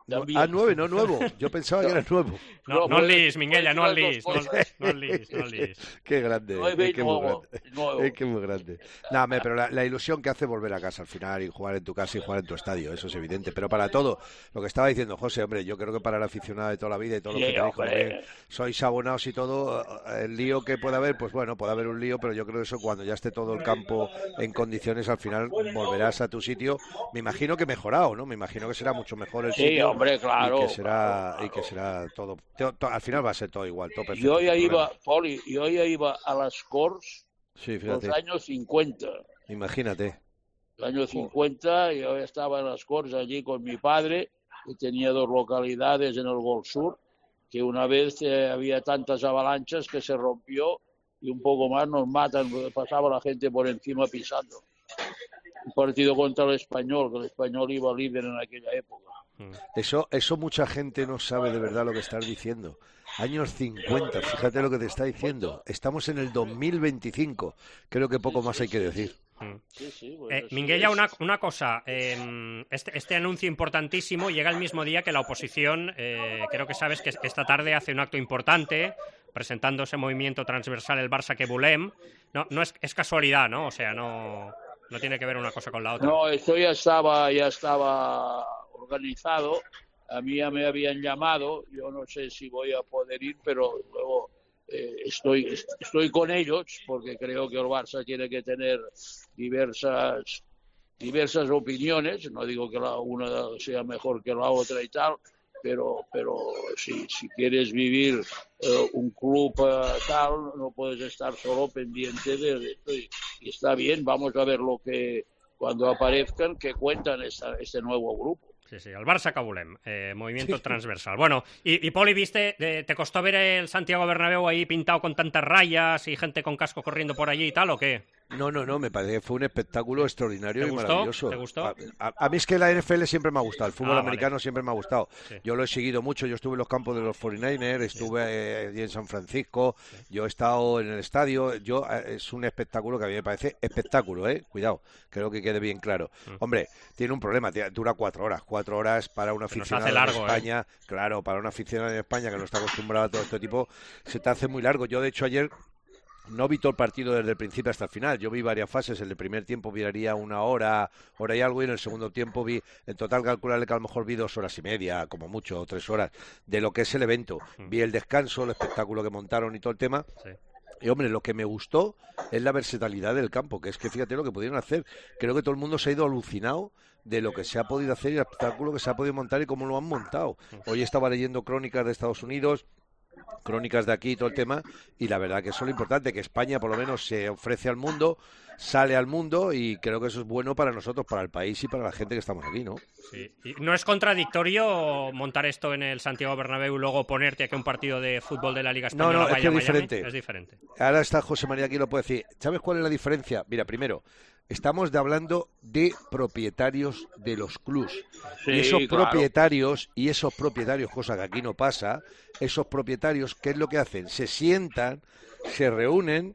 También. Ah, nueve, no nuevo. Yo pensaba que era nuevo. No, no puedes- lis, Minguella, no puedes lis, decir no, las dos no lis, no lis. Qué grande, Nueve es que y muy nuevo, grande. nuevo. Es que muy grande. Nada, me- pero la, la ilusión que hace volver a casa al final y jugar en tu casa y jugar en tu estadio, eso es evidente. Pero para todo, lo que estaba diciendo José, hombre, yo creo que para el aficionado de toda la vida y todo lo Sí, que te dijo, hombre. hombre, sois abonados y todo, el lío que pueda haber, pues bueno, puede haber un lío, pero yo creo que eso cuando ya esté todo el campo en condiciones, al final volverás a tu sitio. Me imagino que mejorado, ¿no? Me imagino que será mucho mejor el Sí, sitio. hombre, claro, Y que será, y que será todo, todo- todo- al final va a ser todo igual, todo perfecto. Yo ya sin iba, problema. Poli, yo ya iba a las Corts Sí, los fíjate. años cincuenta. Imagínate. El año cincuenta yo estaba en las Corts allí con mi padre, que tenía dos localidades en el Gol Sur, que una vez eh, había tantas avalanchas que se rompió y un poco más nos matan, pasaba la gente por encima pisando. Un partido contra el Español, que el Español iba líder en aquella época. Eso, eso mucha gente no sabe de verdad lo que estás diciendo. Años cincuenta, fíjate lo que te está diciendo. Estamos en el dos mil veinticinco. Creo que poco más hay que decir. Sí, sí, pues Eh, así Minguella, es. una, una cosa. eh, este, este anuncio importantísimo llega el mismo día que la oposición, eh, creo que sabes que esta tarde hace un acto importante presentando ese movimiento transversal el Barça que volem. No, no es, es casualidad, ¿no? O sea, no, no tiene que ver una cosa con la otra. No, esto ya estaba, ya estaba organizado. A mí ya me habían llamado. Yo no sé si voy a poder ir, pero luego eh, estoy, estoy con ellos porque creo que el Barça tiene que tener diversas, diversas opiniones. No digo que la una sea mejor que la otra y tal, pero, pero si, si quieres vivir eh, un club eh, tal, no puedes estar solo pendiente de esto. Y, y está bien, vamos a ver lo que cuando aparezcan, que cuentan esta, este nuevo grupo. Sí, sí, el Barça que volem, eh, movimiento transversal. Bueno, y, y Poli, ¿viste? Eh, ¿Te costó ver el Santiago Bernabéu ahí pintado con tantas rayas y gente con casco corriendo por allí y tal, o qué? No, no, no, me parece que fue un espectáculo extraordinario ¿Te y gustó? maravilloso. ¿Te gustó? A, a- a mí es que la N F L siempre me ha gustado, el fútbol Ah, americano vale. siempre me ha gustado. Sí. Yo lo he seguido mucho, yo estuve en los campos de los cuarenta y nueve ers, estuve eh, allí en San Francisco, yo he estado en el estadio, yo eh, es un espectáculo que a mí me parece espectáculo, ¿eh? Cuidado, creo que quede bien claro. Mm. Hombre, tiene un problema, te- dura cuatro horas, cuatro horas para un Se nos aficionado hace largo, en ¿eh? España, claro, para un aficionado en España que no está acostumbrado a todo este tipo, se te hace muy largo. Yo, de hecho, ayer no vi todo el partido desde el principio hasta el final. Yo vi varias fases. En el primer tiempo miraría una hora, hora y algo, y en el segundo tiempo vi, en total calcularle que a lo mejor vi dos horas y media, como mucho, o tres horas, de lo que es el evento. Vi el descanso, el espectáculo que montaron y todo el tema. Sí. Y hombre, lo que me gustó es la versatilidad del campo, que es que fíjate lo que pudieron hacer. Creo que todo el mundo se ha ido alucinado de lo que se ha podido hacer y el espectáculo que se ha podido montar y cómo lo han montado. Hoy estaba leyendo crónicas de Estados Unidos, crónicas de aquí y todo el tema, y la verdad que eso es lo importante, que España por lo menos se ofrece al mundo, sale al mundo, y creo que eso es bueno para nosotros, para el país y para la gente que estamos aquí, ¿no? Sí. ¿Y no es contradictorio montar esto en el Santiago Bernabéu y luego ponerte aquí un partido de fútbol de la Liga No, Española? no, es vaya que es Miami? diferente. Es diferente. Ahora está José María aquí, lo puede decir. ¿Sabes cuál es la diferencia? Mira, primero, estamos de hablando de propietarios de los clubs. Sí, y esos claro. propietarios, y esos propietarios, cosa que aquí no pasa, esos propietarios, ¿qué es lo que hacen? Se sientan, se reúnen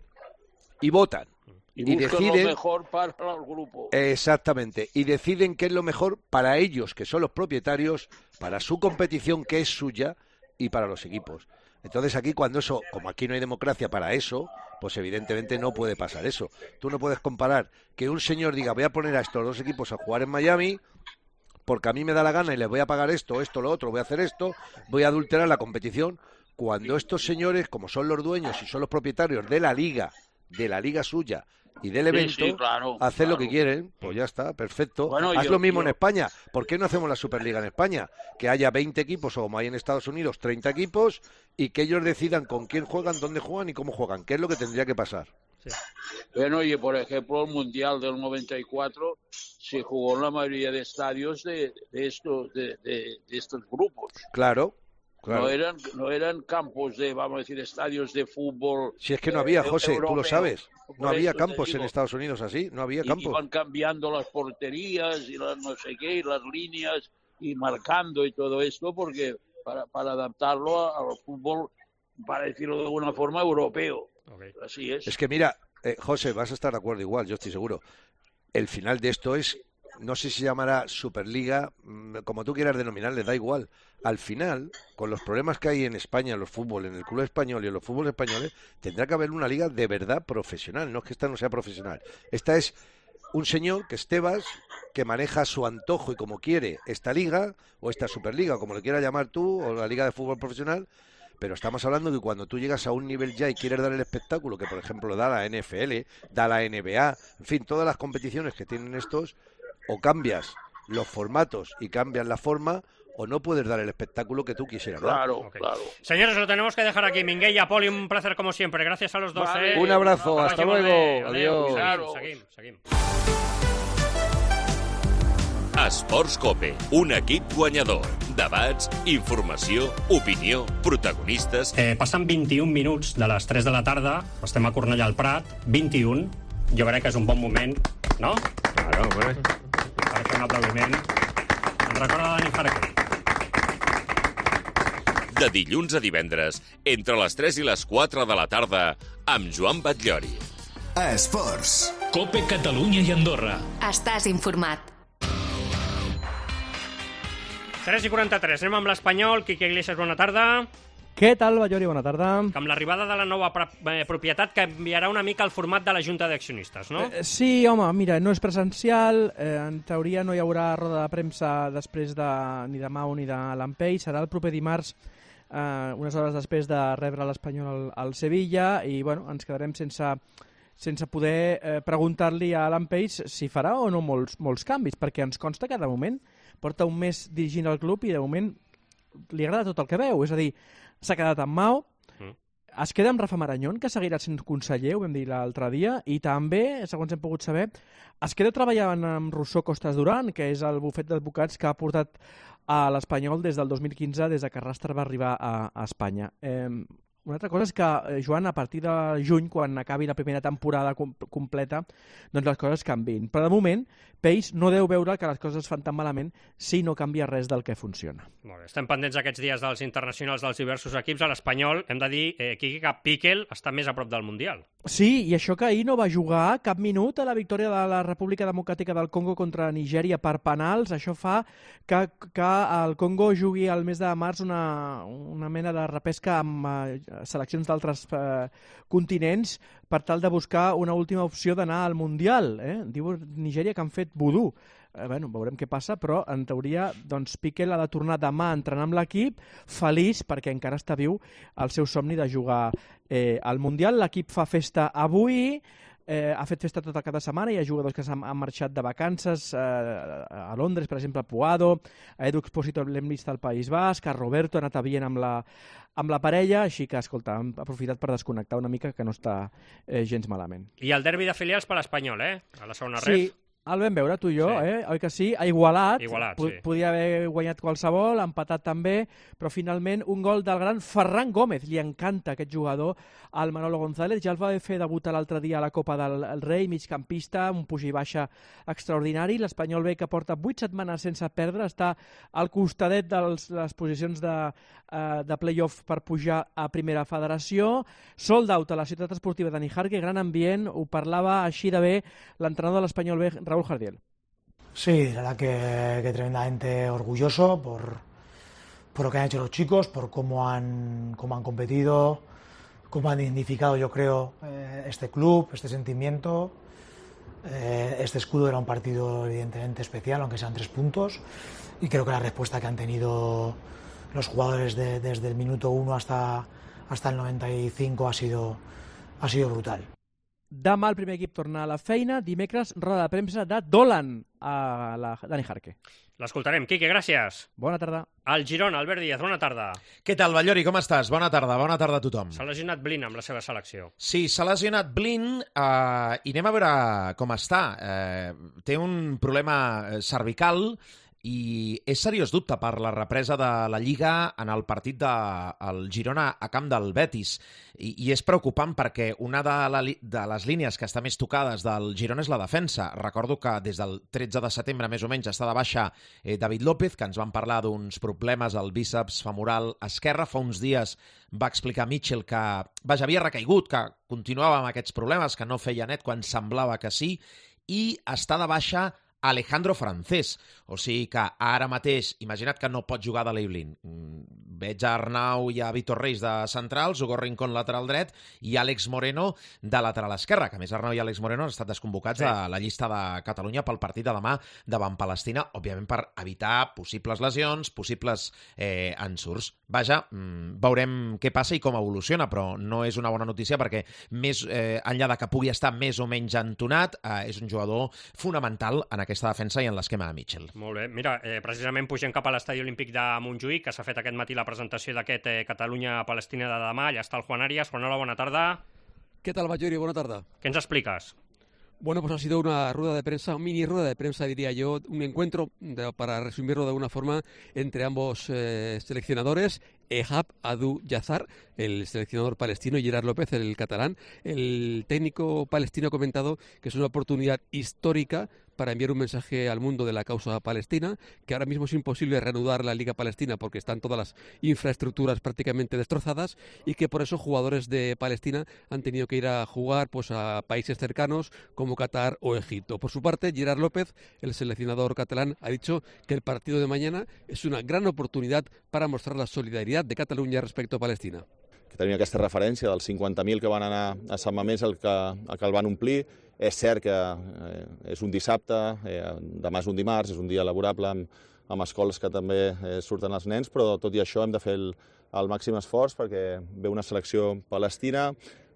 y votan. Y, Y buscan deciden- lo mejor para el grupo. Exactamente, y deciden qué es lo mejor para ellos, que son los propietarios, para su competición, que es suya, y para los equipos. Entonces aquí, cuando eso, como aquí no hay democracia para eso, pues evidentemente no puede pasar eso. Tú no puedes comparar que un señor diga, voy a poner a estos dos equipos a jugar en Miami porque a mí me da la gana y les voy a pagar esto, esto, lo otro, voy a hacer esto, voy a adulterar la competición, cuando estos señores, como son los dueños y son los propietarios de la liga, de la liga suya y del Sí, evento, sí, claro, hacen lo claro. que quieren, pues ya está, perfecto. Bueno, Haz yo- lo mismo yo- en España. ¿Por qué no hacemos la Superliga en España? Que haya veinte equipos, o como hay en Estados Unidos, treinta equipos, y que ellos decidan con quién juegan, dónde juegan y cómo juegan, que es lo que tendría que pasar. Bueno, y por ejemplo, el Mundial del noventa y cuatro se jugó en la mayoría de estadios de, de estos de, de- de estos grupos. Claro, claro. No eran no eran campos de, vamos a decir, estadios de fútbol. Si es que no había, eh, José, tú lo europeo. sabes. No Por había eso te campos en digo. Estados Unidos así, no había Y campos. iban cambiando las porterías y las no sé qué, y las líneas y marcando y todo esto porque para, para adaptarlo a- al fútbol, para decirlo de alguna forma, europeo. Así es. Es que mira, eh, José, vas a estar de acuerdo igual, yo estoy seguro. El final de esto es, no sé si se llamará Superliga, mm, como tú quieras denominarle, da igual. Al final, con los problemas que hay en España, en los fútbol, en el club español y en los fútboles españoles, tendrá que haber una liga de verdad profesional. No es que esta no sea profesional. Esta es un señor, que es Tebas, que maneja a su antojo y como quiere esta liga, o esta Superliga, o como le quieras llamar tú, o la liga de fútbol profesional. Pero estamos hablando de que cuando tú llegas a un nivel ya y quieres dar el espectáculo que, por ejemplo, da la N F L, da la N B A, en fin, todas las competiciones que tienen estos, o cambias los formatos y cambias la forma, o no puedes dar el espectáculo que tú quisieras dar. Claro, Ok. claro. Señores, lo tenemos que dejar aquí. Minguella, Poli, un placer como siempre. Gracias a los dos. Vale. eh. Un abrazo, hasta Próximo luego. de- adeu. Adiós. Claro. Seguim, seguim, seguim. Esports Cope, un equip guanyador. Debats, informació, opinió, protagonistes... Eh, passen vint-i-un minuts de les tres de la tarda, estem a Cornellà al Prat, vint-i-un, jo crec que és un bon moment, no? Claro, hombre. Per fer un aplaudiment. Ens recorda Dani Farquer. De dilluns a divendres, entre les tres i les quatre de la tarda, amb Joan Batllori. Esports. Cope Catalunya i Andorra. Estàs informat. tres i quaranta-tres, anem amb l'Espanyol. Quique Iglesias, bona tarda. Què tal, Ballori? Bona tarda. Que amb l'arribada de la nova eh, propietat canviarà una mica el format de la Junta d'Accionistes, no? Eh, sí, home, mira, no és presencial, eh, en teoria no hi haurà roda de premsa després de, ni de Mau ni de Lampei, serà el proper dimarts, eh, unes hores després de rebre l'Espanyol al, al Sevilla, i bueno, ens quedarem sense, sense poder eh, preguntar-li a Lampei si farà o no molts, molts canvis, perquè ens consta que de moment porta un mes dirigint el club i de moment li agrada tot el que veu, és a dir, s'ha quedat amb Mau, Mm. es queda amb Rafa Marañón, que seguirà sent conseller, ho vam dir l'altre dia, i també, segons hem pogut saber, es queda treballant amb Rousseau Costas Duran, que és el bufet d'advocats que ha portat a l'Espanyol des del dos mil quinze, des que Rastre va arribar a, a Espanya. Eh, Una altra cosa és que, eh, Joan, a partir de juny, quan acabi la primera temporada com completa, doncs les coses canvin. Però de moment, Peix no deu veure que les coses es fan tan malament si no canvia res del que funciona. Molt bé, estem pendents aquests dies dels internacionals dels diversos equips. A l'Espanyol, hem de dir, eh, Quique, que Piquel està més a prop del Mundial. Sí, i això que ahir no va jugar cap minut a la victòria de la República Democràtica del Congo contra Nigèria per penals. Això fa que, que el Congo jugui al mes de març una, una mena de repesca amb eh, seleccions d'altres eh, continents per tal de buscar una última opció d'anar al Mundial. Eh? Diu Nigèria que han fet vudú. Eh, bueno, veurem què passa, però en teoria doncs, Piquel ha de tornar demà a entrenar amb l'equip, feliç perquè encara està viu el seu somni de jugar eh, al Mundial. L'equip fa festa avui, eh, ha fet festa tota cada setmana, hi ha jugadors que s'han marxat de vacances eh, a Londres, per exemple, a Puado, a Edu Expósito l'hem vist al País Basc, a Roberto ha anat a Viena amb la, amb la parella, així que, escolta, han aprofitat per desconnectar una mica, que no està eh, gens malament. I el derbi de filials per l'Espanyol, eh? A la segona Sí, ref. el vam veure tu i jo, Sí. eh? Oi que sí? Ha igualat, Igualat, P- sí. podia haver guanyat qualsevol, empatat també, però finalment un gol del gran Ferran Gómez. Li encanta aquest jugador al Manolo González, ja el va fer debutar l'altre dia a la Copa del el Rei, migcampista, un puja i baixa extraordinari. L'Espanyol B, que porta vuit setmanes sense perdre, està al costadet de les posicions de, eh, de play-off per pujar a Primera Federació. Sold out a la ciutat esportiva de Nijarque, gran ambient, ho parlava així de bé l'entrenador de l'Espanyol B, Raúl Jardiel. Sí, la verdad que, que tremendamente orgulloso por, por lo que han hecho los chicos, por cómo han, cómo han competido, cómo han dignificado, yo creo, eh, este club, este sentimiento. Eh, este escudo era un partido evidentemente especial, aunque sean tres puntos, y creo que la respuesta que han tenido los jugadores de, desde el minuto uno hasta, hasta el noventa y cinco ha sido, ha sido brutal. Demà el primer equip torna a la feina, dimecres roda de premsa de Dolan a la Dani Jarque. L'escoltarem. Quique, gràcies. Bona tarda. El Girona, Albert Díaz, bona tarda. Què tal, Ballori, com estàs? Bona tarda, bona tarda a tothom. S'ha lesionat Blin amb la seva selecció. Sí, s'ha lesionat Blin eh, i anem a veure com està. Eh, té un problema cervical i és seriós dubte per la represa de la Lliga en el partit del Girona a camp del Betis. I, i és preocupant perquè una de, la, de les línies que està més tocades del Girona és la defensa. Recordo que des del tretze de setembre, més o menys, està de baixa eh, David López, que ens van parlar d'uns problemes al bíceps femoral esquerre. Fa uns dies va explicar Mitchell que, vaja, havia recaigut, que continuava amb aquests problemes, que no feia net quan semblava que sí, i està de baixa Alejandro Francés. O sigui que ara mateix, imagina't que no pot jugar de Leiblin. Veig a Arnau i a Víctor Reis de centrals, Hugo Rincón lateral dret i Àlex Moreno de lateral esquerra, que a més Arnau i Àlex Moreno han estat desconvocats sí. a la llista de Catalunya pel partit de demà davant Palestina, òbviament per evitar possibles lesions, possibles eh, ensurts. Vaja, mmm, veurem què passa i com evoluciona, però no és una bona notícia perquè més eh, enllà de que pugui estar més o menys entonat, eh, és un jugador fonamental en aquesta defensa i en l'esquema de Mitchell. Molt bé. Mira, eh, precisament pugem cap a l'Estadi Olímpic de Montjuïc, que s'ha fet aquest matí la presentació d'aquest eh, Catalunya-Palestina de demà. Allà està el Juan Arias. Juan, hola, bona tarda. ¿Qué tal, Ballori? Buena tarde. ¿Qué nos explicas? Bueno, pues ha sido una rueda de prensa, una mini rueda de prensa, diría yo, un encuentro, de, para resumirlo de alguna forma, entre ambos eh, seleccionadores, Ehab Adu Yazar, el seleccionador palestino, y Gerard López, el catalán. El técnico palestino ha comentado que es una oportunidad histórica para enviar un mensaje al mundo de la causa palestina, que ahora mismo es imposible reanudar la Liga Palestina porque están todas las infraestructuras prácticamente destrozadas y que por eso jugadores de Palestina han tenido que ir a jugar pues, a países cercanos como Qatar o Egipto. Por su parte, Gerard López, el seleccionador catalán, ha dicho que el partido de mañana es una gran oportunidad para mostrar la solidaridad de Catalunya respecto a Palestina. Que tenim aquesta referència dels cinquanta mil que van anar a Sant Mamés, el que, el que el van omplir. És cert que eh, és un dissabte, eh, demà és un dimarts, és un dia laborable amb, amb escoles que també eh, surten els nens, però tot i això hem de fer el, el màxim esforç perquè ve una selecció palestina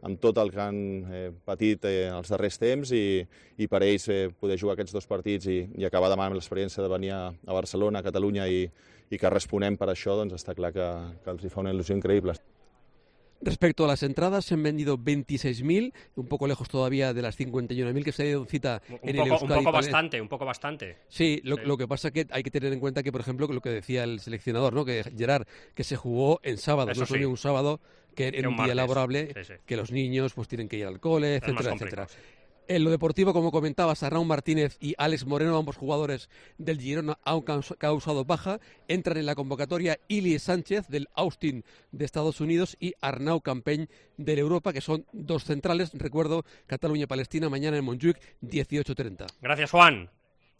amb tot el que han eh, patit eh, els darrers temps i, i per ells eh, poder jugar aquests dos partits i, i acabar demà amb l'experiència de venir a, a Barcelona, a Catalunya i, i que responem per això, doncs està clar que, que els hi fa una il·lusió increïble. Respecto a las entradas, se han vendido veintiséis mil, un poco lejos todavía de las cincuenta y uno mil que se ha ido cita un en poco, el Euskadi. Un poco bastante, un poco bastante. Sí, lo, sí. lo que pasa es que hay que tener en cuenta que, por ejemplo, lo que decía el seleccionador, ¿no? Que Gerard, que se jugó en sábado, Eso no sí. solo un sábado, que en un, un día laborable, sí, sí. que los niños pues tienen que ir al cole, etcétera, etcétera. En lo deportivo, como comentabas, Arnau Martínez y Alex Moreno, ambos jugadores del Girona, han causado baja. Entran en la convocatoria Ili Sánchez del Austin de Estados Unidos y Arnau Campeny del Europa, que son dos centrales. Recuerdo, Catalunya-Palestina, mañana en Montjuïc, dieciocho treinta. Gràcies, Juan.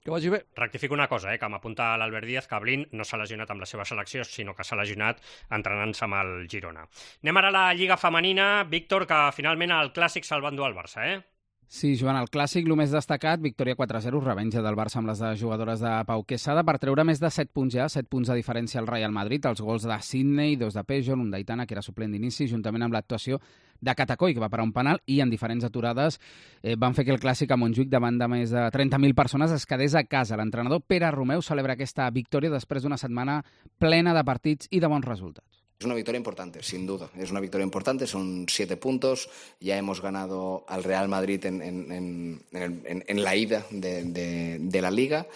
Que vagi bé. Rectifico una cosa, eh, que m'apunta l'Albert Díaz, que Blin no s'ha lesionat amb la seva selecció, sinó que s'ha lesionat entrenant-se amb el Girona. Anem ara a la Lliga Femenina. Víctor, que finalment el Clàssic se'l va endur al Barça, eh? Sí, Joan, el Clàssic, el més destacat, victòria quatre a zero, revenja del Barça amb les jugadores de Pau Quesada per treure més de set punts ja, set punts de diferència al Real Madrid, els gols de Sidney, dos de Pejol, un d'Aitana, que era suplent d'inici, juntament amb l'actuació de Catacoi, que va parar un penal, i en diferents aturades eh, van fer que el Clàssic a Montjuïc, davant de més de trenta mil persones, es quedés a casa. L'entrenador Pere Romeu celebra aquesta victòria després d'una setmana plena de partits i de bons resultats. Es una victoria importante, sin duda. Es una victoria importante, son siete puntos. Ya hemos ganado al Real Madrid en, en, en, en, en la ida de, de, de la Liga.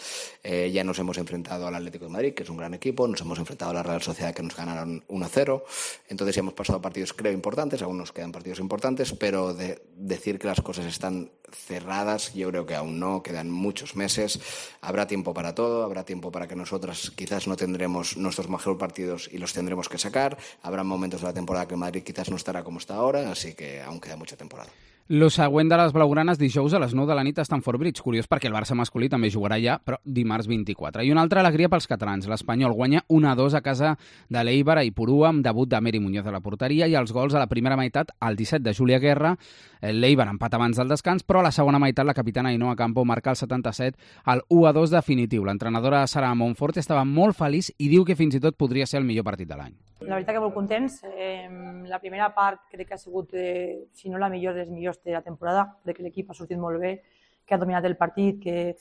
Eh, ya nos hemos enfrentado al Atlético de Madrid, que es un gran equipo. Nos hemos enfrentado a la Real Sociedad, que nos ganaron uno a cero. Entonces ya hemos pasado partidos, creo, importantes. Aún nos quedan partidos importantes, pero de decir que las cosas están cerradas, yo creo que aún no. Quedan muchos meses. Habrá tiempo para todo. Habrá tiempo para que nosotras quizás no tendremos nuestros mejores partidos y los tendremos que sacar. Habrá momentos de la temporada que Madrid quizás no estarà com està ahora, así que aún queda mucha temporada. Lo següent de les blaugranes dijous a les nou de la nit a Stamford Bridge. Curiós perquè el Barça masculí també jugarà ja, però dimarts vint-i-quatre. I una altra alegria pels catalans. L'Espanyol guanya un a dos a casa de l'Eibar a Ipurua amb debut de Meri Muñoz a la porteria i els gols a la primera meitat al disset de Júlia Guerra. L'Eibar empat abans del descans, però a la segona meitat la capitana Ainhoa Campo marca el setanta-set al u a dos definitiu. L'entrenadora Sara Monfort estava molt feliç i diu que fins i tot podria ser el millor partit de l'any. La veritat que molt contents. Eh, la primera part crec que ha sigut, eh, si no la millor, dels millors de la temporada. Crec que l'equip ha sortit molt bé, que ha dominat el partit, que,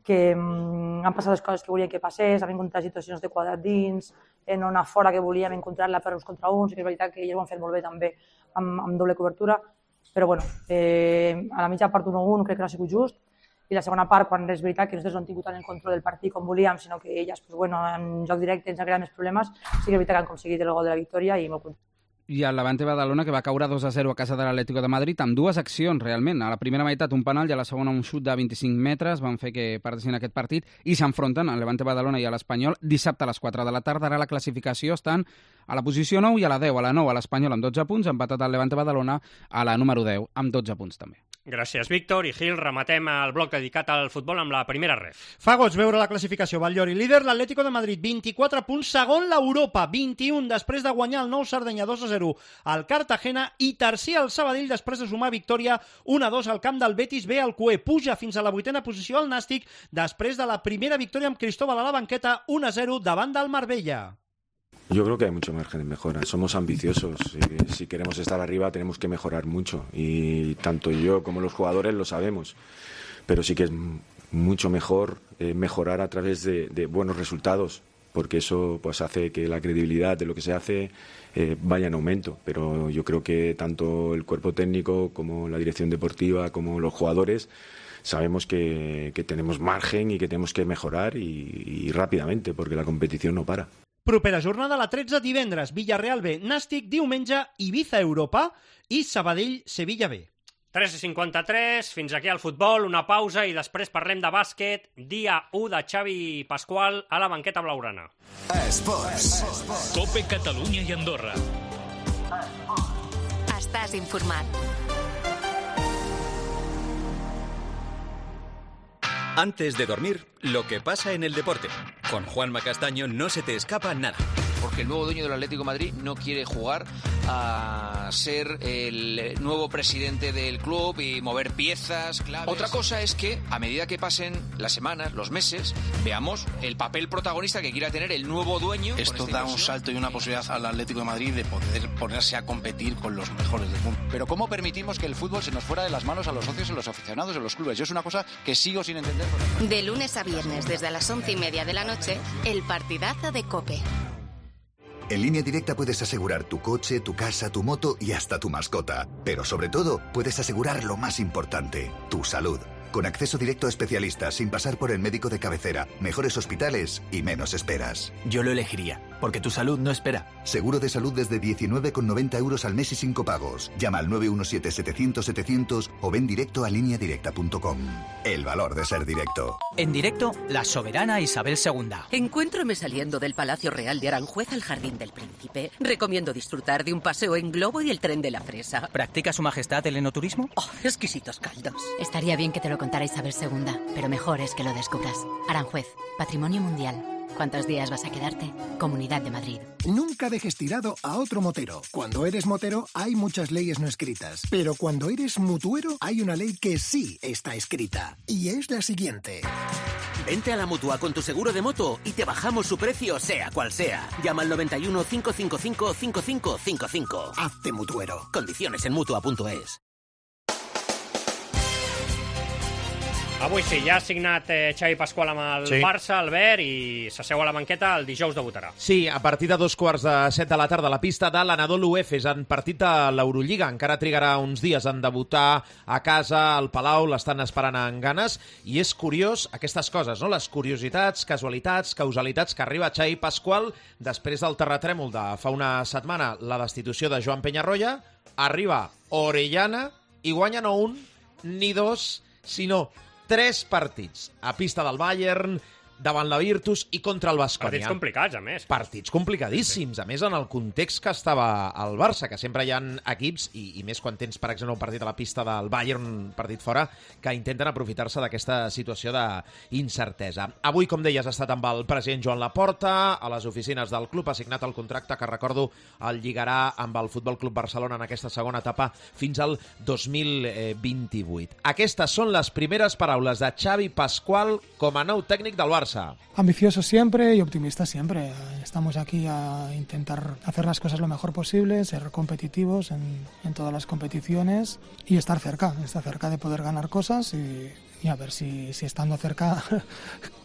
que mm, han passat les coses que volien que passés, hem encontrat situacions de quadrat dins, en una fora que volíem encontrar-la per uns contra uns, i que és veritat que ells ho han fet molt bé també, amb, amb doble cobertura. Però bueno, eh, a la mitja part un a un crec que no ha sigut just, i la segona part, quan és veritat que nosaltres no hem tingut tant el control del partit com volíem, sinó que elles, pues, bueno, en joc directe ens han creat més problemes, sí que és veritat que han aconseguit el gol de la victòria i molt content. I el Levante Badalona, que va caure dos a zero a casa de l'Atlético de Madrid, amb dues accions, realment. A la primera meitat un penal i a la segona un xut de vint-i-cinc metres van fer que perdessin aquest partit i s'enfronten al Levante Badalona i a l'Espanyol dissabte a les quatre de la tarda. Ara la classificació estan a la posició nou i a la deu. A la nou a l'Espanyol amb dotze punts, empatat al Levante Badalona a la número deu amb dotze punts també. Gràcies, Víctor. I Gil, rematem el bloc dedicat al futbol amb la primera ref. Fa goig veure la classificació. Batllori, líder l'Atlético de Madrid, vint-i-quatre punts, segon l'Europa, vint-i-un després de guanyar el nou Sardenya dos a zero al Cartagena i tercer al Sabadell després de sumar victòria un a dos al camp del Betis B al Cué. Puja fins a la vuitena posició al Nàstic després de la primera victòria amb Cristóbal a la banqueta un a zero davant del Marbella. Yo creo que hay mucho margen de mejora. Somos ambiciosos. Y si queremos estar arriba tenemos que mejorar mucho. Y tanto yo como los jugadores lo sabemos. Pero sí que es mucho mejor eh, mejorar a través de, de buenos resultados, porque eso pues hace que la credibilidad de lo que se hace eh, vaya en aumento. Pero yo creo que tanto el cuerpo técnico como la dirección deportiva como los jugadores sabemos que, que tenemos margen y que tenemos que mejorar y, y rápidamente, porque la competición no para. Propera jornada la tretze divendres, Villarreal B, Nàstic diumenge, Ibiza Europa i Sabadell Sevilla B. tres i cinquanta-tres, fins aquí el futbol, una pausa i després parlem de bàsquet. Dia u de Xavi Pasqual a la banqueta blaugrana. Esports. Cope Catalunya i Andorra. Estàs informat. Antes de dormir, lo que pasa en el deporte. Con Juanma Castaño no se te escapa nada. Porque el nuevo dueño del Atlético de Madrid no quiere jugar a ser el nuevo presidente del club y mover piezas claves. Otra cosa es que, a medida que pasen las semanas, los meses, veamos el papel protagonista que quiera tener el nuevo dueño. Esto da un salto y una posibilidad al Atlético de Madrid de poder ponerse a competir con los mejores del mundo. Pero ¿cómo permitimos que el fútbol se nos fuera de las manos a los socios, a los aficionados, a los clubes? Yo es una cosa que sigo sin entender. De lunes a viernes, desde las once y media de la noche, el partidazo de COPE. En Línea Directa puedes asegurar tu coche, tu casa, tu moto y hasta tu mascota. Pero sobre todo, puedes asegurar lo más importante, tu salud. con acceso directo a especialistas sin pasar por el médico de cabecera, mejores hospitales y menos esperas. Yo lo elegiría, porque tu salud no espera. Seguro de salud desde diecinueve con noventa euros al mes y sin copagos. Llama al nueve uno siete setecientos setecientos o ven directo a línea directa punto com. El valor de ser directo. En directo, la soberana Isabel segunda. Encuéntrome saliendo del Palacio Real de Aranjuez al Jardín del Príncipe. Recomiendo disfrutar de un paseo en globo y el tren de la fresa. ¿Practica su majestad el enoturismo? Oh, exquisitos caldos. Estaría bien que te lo contara Isabel segunda, pero mejor es que lo descubras. Aranjuez, Patrimonio Mundial. ¿Cuántos días vas a quedarte? Comunidad de Madrid. Nunca dejes tirado a otro motero. Cuando eres motero hay muchas leyes no escritas, pero cuando eres mutuero hay una ley que sí está escrita, y es la siguiente. Vente a la Mutua con tu seguro de moto y te bajamos su precio sea cual sea. Llama al noventa y uno, cinco cinco cinco, cinco cinco cinco cinco. Hazte mutuero. Condiciones en mutua punto es. Avui sí, ja ha signat eh, Xavi Pasqual amb el Sí. Barça, Albert, i s'asseu a la banqueta, el dijous debutarà. Sí, a partir de dos quarts de set de la tarda a la pista de l'Anadolu Efes en partit de l'Eurolliga. Encara trigarà uns dies en debutar a casa, al Palau, l'estan esperant amb ganes, i és curiós aquestes coses, no? Les curiositats, casualitats, causalitats que arriba Xavi Pasqual després del terratrèmol de fa una setmana, la destitució de Joan Peñarroya, arriba Orellana i guanya no un ni dos, sinó tres partits a pista del Bayern, davant la Virtus i contra el Baskonia. Partits complicats, a més. Partits complicadíssims, a més en el context que estava el Barça, que sempre hi ha equips, i, i més quan tens, per exemple, un partit a la pista del Bayern, un partit fora, que intenten aprofitar-se d'aquesta situació d'incertesa. Avui, com deies, ha estat amb el president Joan Laporta, a les oficines del club, ha signat el contracte que, recordo, el lligarà amb el Futbol Club Barcelona en aquesta segona etapa fins al dos mil vint-i-vuit. Aquestes són les primeres paraules de Xavi Pasqual com a nou tècnic del Barça. Ambicioso siempre y optimista siempre. Estamos aquí a intentar hacer las cosas lo mejor posible, ser competitivos en, en todas las competiciones y estar cerca, estar cerca de poder ganar cosas y, y a ver si, si estando cerca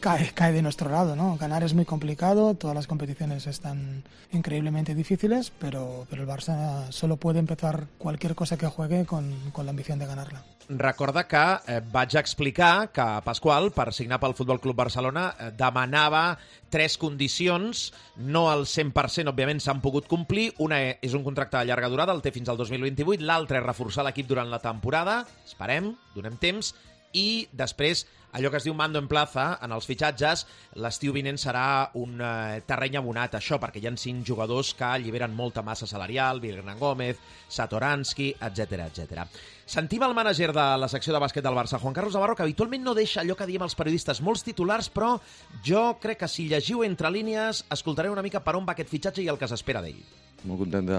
cae, cae de nuestro lado, ¿no? Ganar es muy complicado, todas las competiciones están increíblemente difíciles, pero, pero el Barça solo puede empezar cualquier cosa que juegue con, con la ambición de ganarla. Recorda que eh, vaig explicar que Pasqual, per signar pel Futbol Club Barcelona, eh, demanava tres condicions, no al cent per cent, òbviament, s'han pogut complir. Una és un contracte de llarga durada, el té fins al dos mil vint-i-vuit, l'altra és reforçar l'equip durant la temporada, esperem, donem temps, i després allò que es diu mando en plaza, en els fitxatges, l'estiu vinent serà un eh, terreny abonat, això, perquè hi ha cinc jugadors que alliberen molta massa salarial, Hernán Gómez, Satoransky, etcètera, etcètera. Sentim el mànager de la secció de bàsquet del Barça, Juan Carlos Navarro, que habitualment no deixa allò que diem els periodistes, molts titulars, però jo crec que si llegiu entre línies escoltareu una mica per on va aquest fitxatge i el que s'espera d'ell. Molt content de,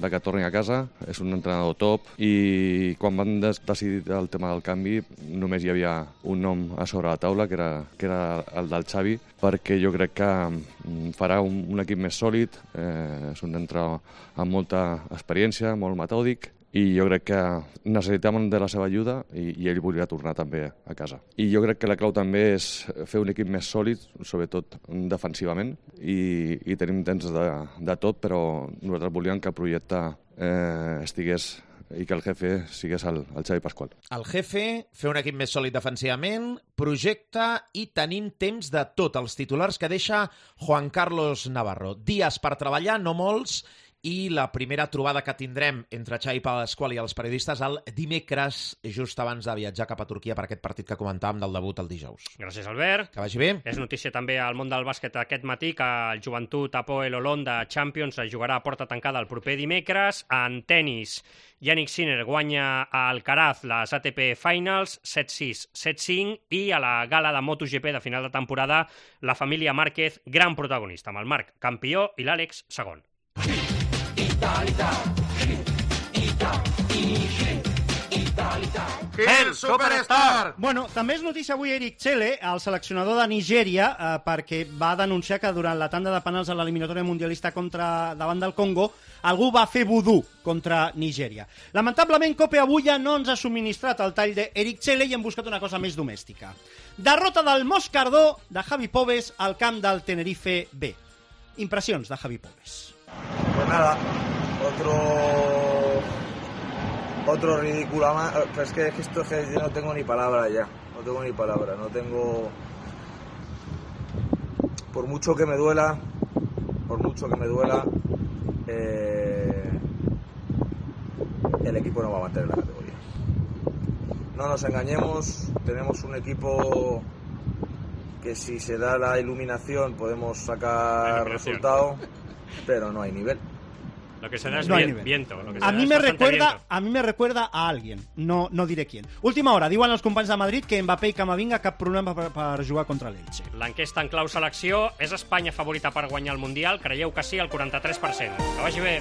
de que torni a casa, és un entrenador top i quan van des decidir el tema del canvi només hi havia un nom a sobre la taula que era, que era el del Xavi, perquè jo crec que farà un, un equip més sòlid, eh, és un entrenador amb molta experiència, molt metòdic, i jo crec que necessitàvem de la seva ajuda i, i ell volia tornar també a casa. I jo crec que la clau també és fer un equip més sòlid, sobretot defensivament, i, i tenim temps de, de tot, però nosaltres volíem que el projecte eh, estigués i que el jefe sigués el, el Xavi Pasqual. El jefe, fer un equip més sòlid defensivament, projecte i tenim temps de tot. Els titulars que deixa Juan Carlos Navarro. Dies per treballar, no molts, i la primera trobada que tindrem entre Xavi Pasqual i els periodistes el dimecres, just abans de viatjar cap a Turquia per aquest partit que comentàvem del debut el dijous. Gràcies, Albert. Que vagi bé. És notícia també al món del bàsquet aquest matí que el Joventut Hapoel Holon de Champions es jugarà a porta tancada el proper dimecres. En tennis, Yannick Sinner guanya a Alcaraz les A T P Finals set sis, set cinc, i a la gala de MotoGP de final de temporada la família Márquez, gran protagonista, amb el Marc campió i l'Àlex segon. El Superstar! Bueno, també és notícia avui Eric Chelle, el seleccionador de Nigèria, eh, perquè va denunciar que durant la tanda de penals a l'eliminatòria mundialista contra davant del Congo algú va fer vudú contra Nigèria. Lamentablement, Cope avui ja no ens ha subministrat el tall d'Eric Chelle i hem buscat una cosa més domèstica. Derrota del Moscardó de Javi Pobes al camp del Tenerife B. Impressions de Javi Pobes. Pues nada, otro otro ridículo más, pero es que esto es que yo no tengo ni palabras ya. no tengo ni palabra, no tengo... Por mucho que me duela, por mucho que me duela, eh, el equipo no va a mantener la categoría. No nos engañemos, tenemos un equipo que si se da la iluminación podemos sacar resultado, pero no hay nivel. Lo que se da es No hay vi- nivel. viento. Lo que se A da mi, es me bastante recuerda, viento. a mi me recuerda a alguien, no, no diré quién. Última hora, diuen els companys de Madrid que Mbappé i Camavinga cap problema per, per jugar contra l'Elche. L'enquesta en clau selecció és Espanya favorita per guanyar el Mundial? Creieu que sí, el quaranta-tres per cent. Que vagi bé.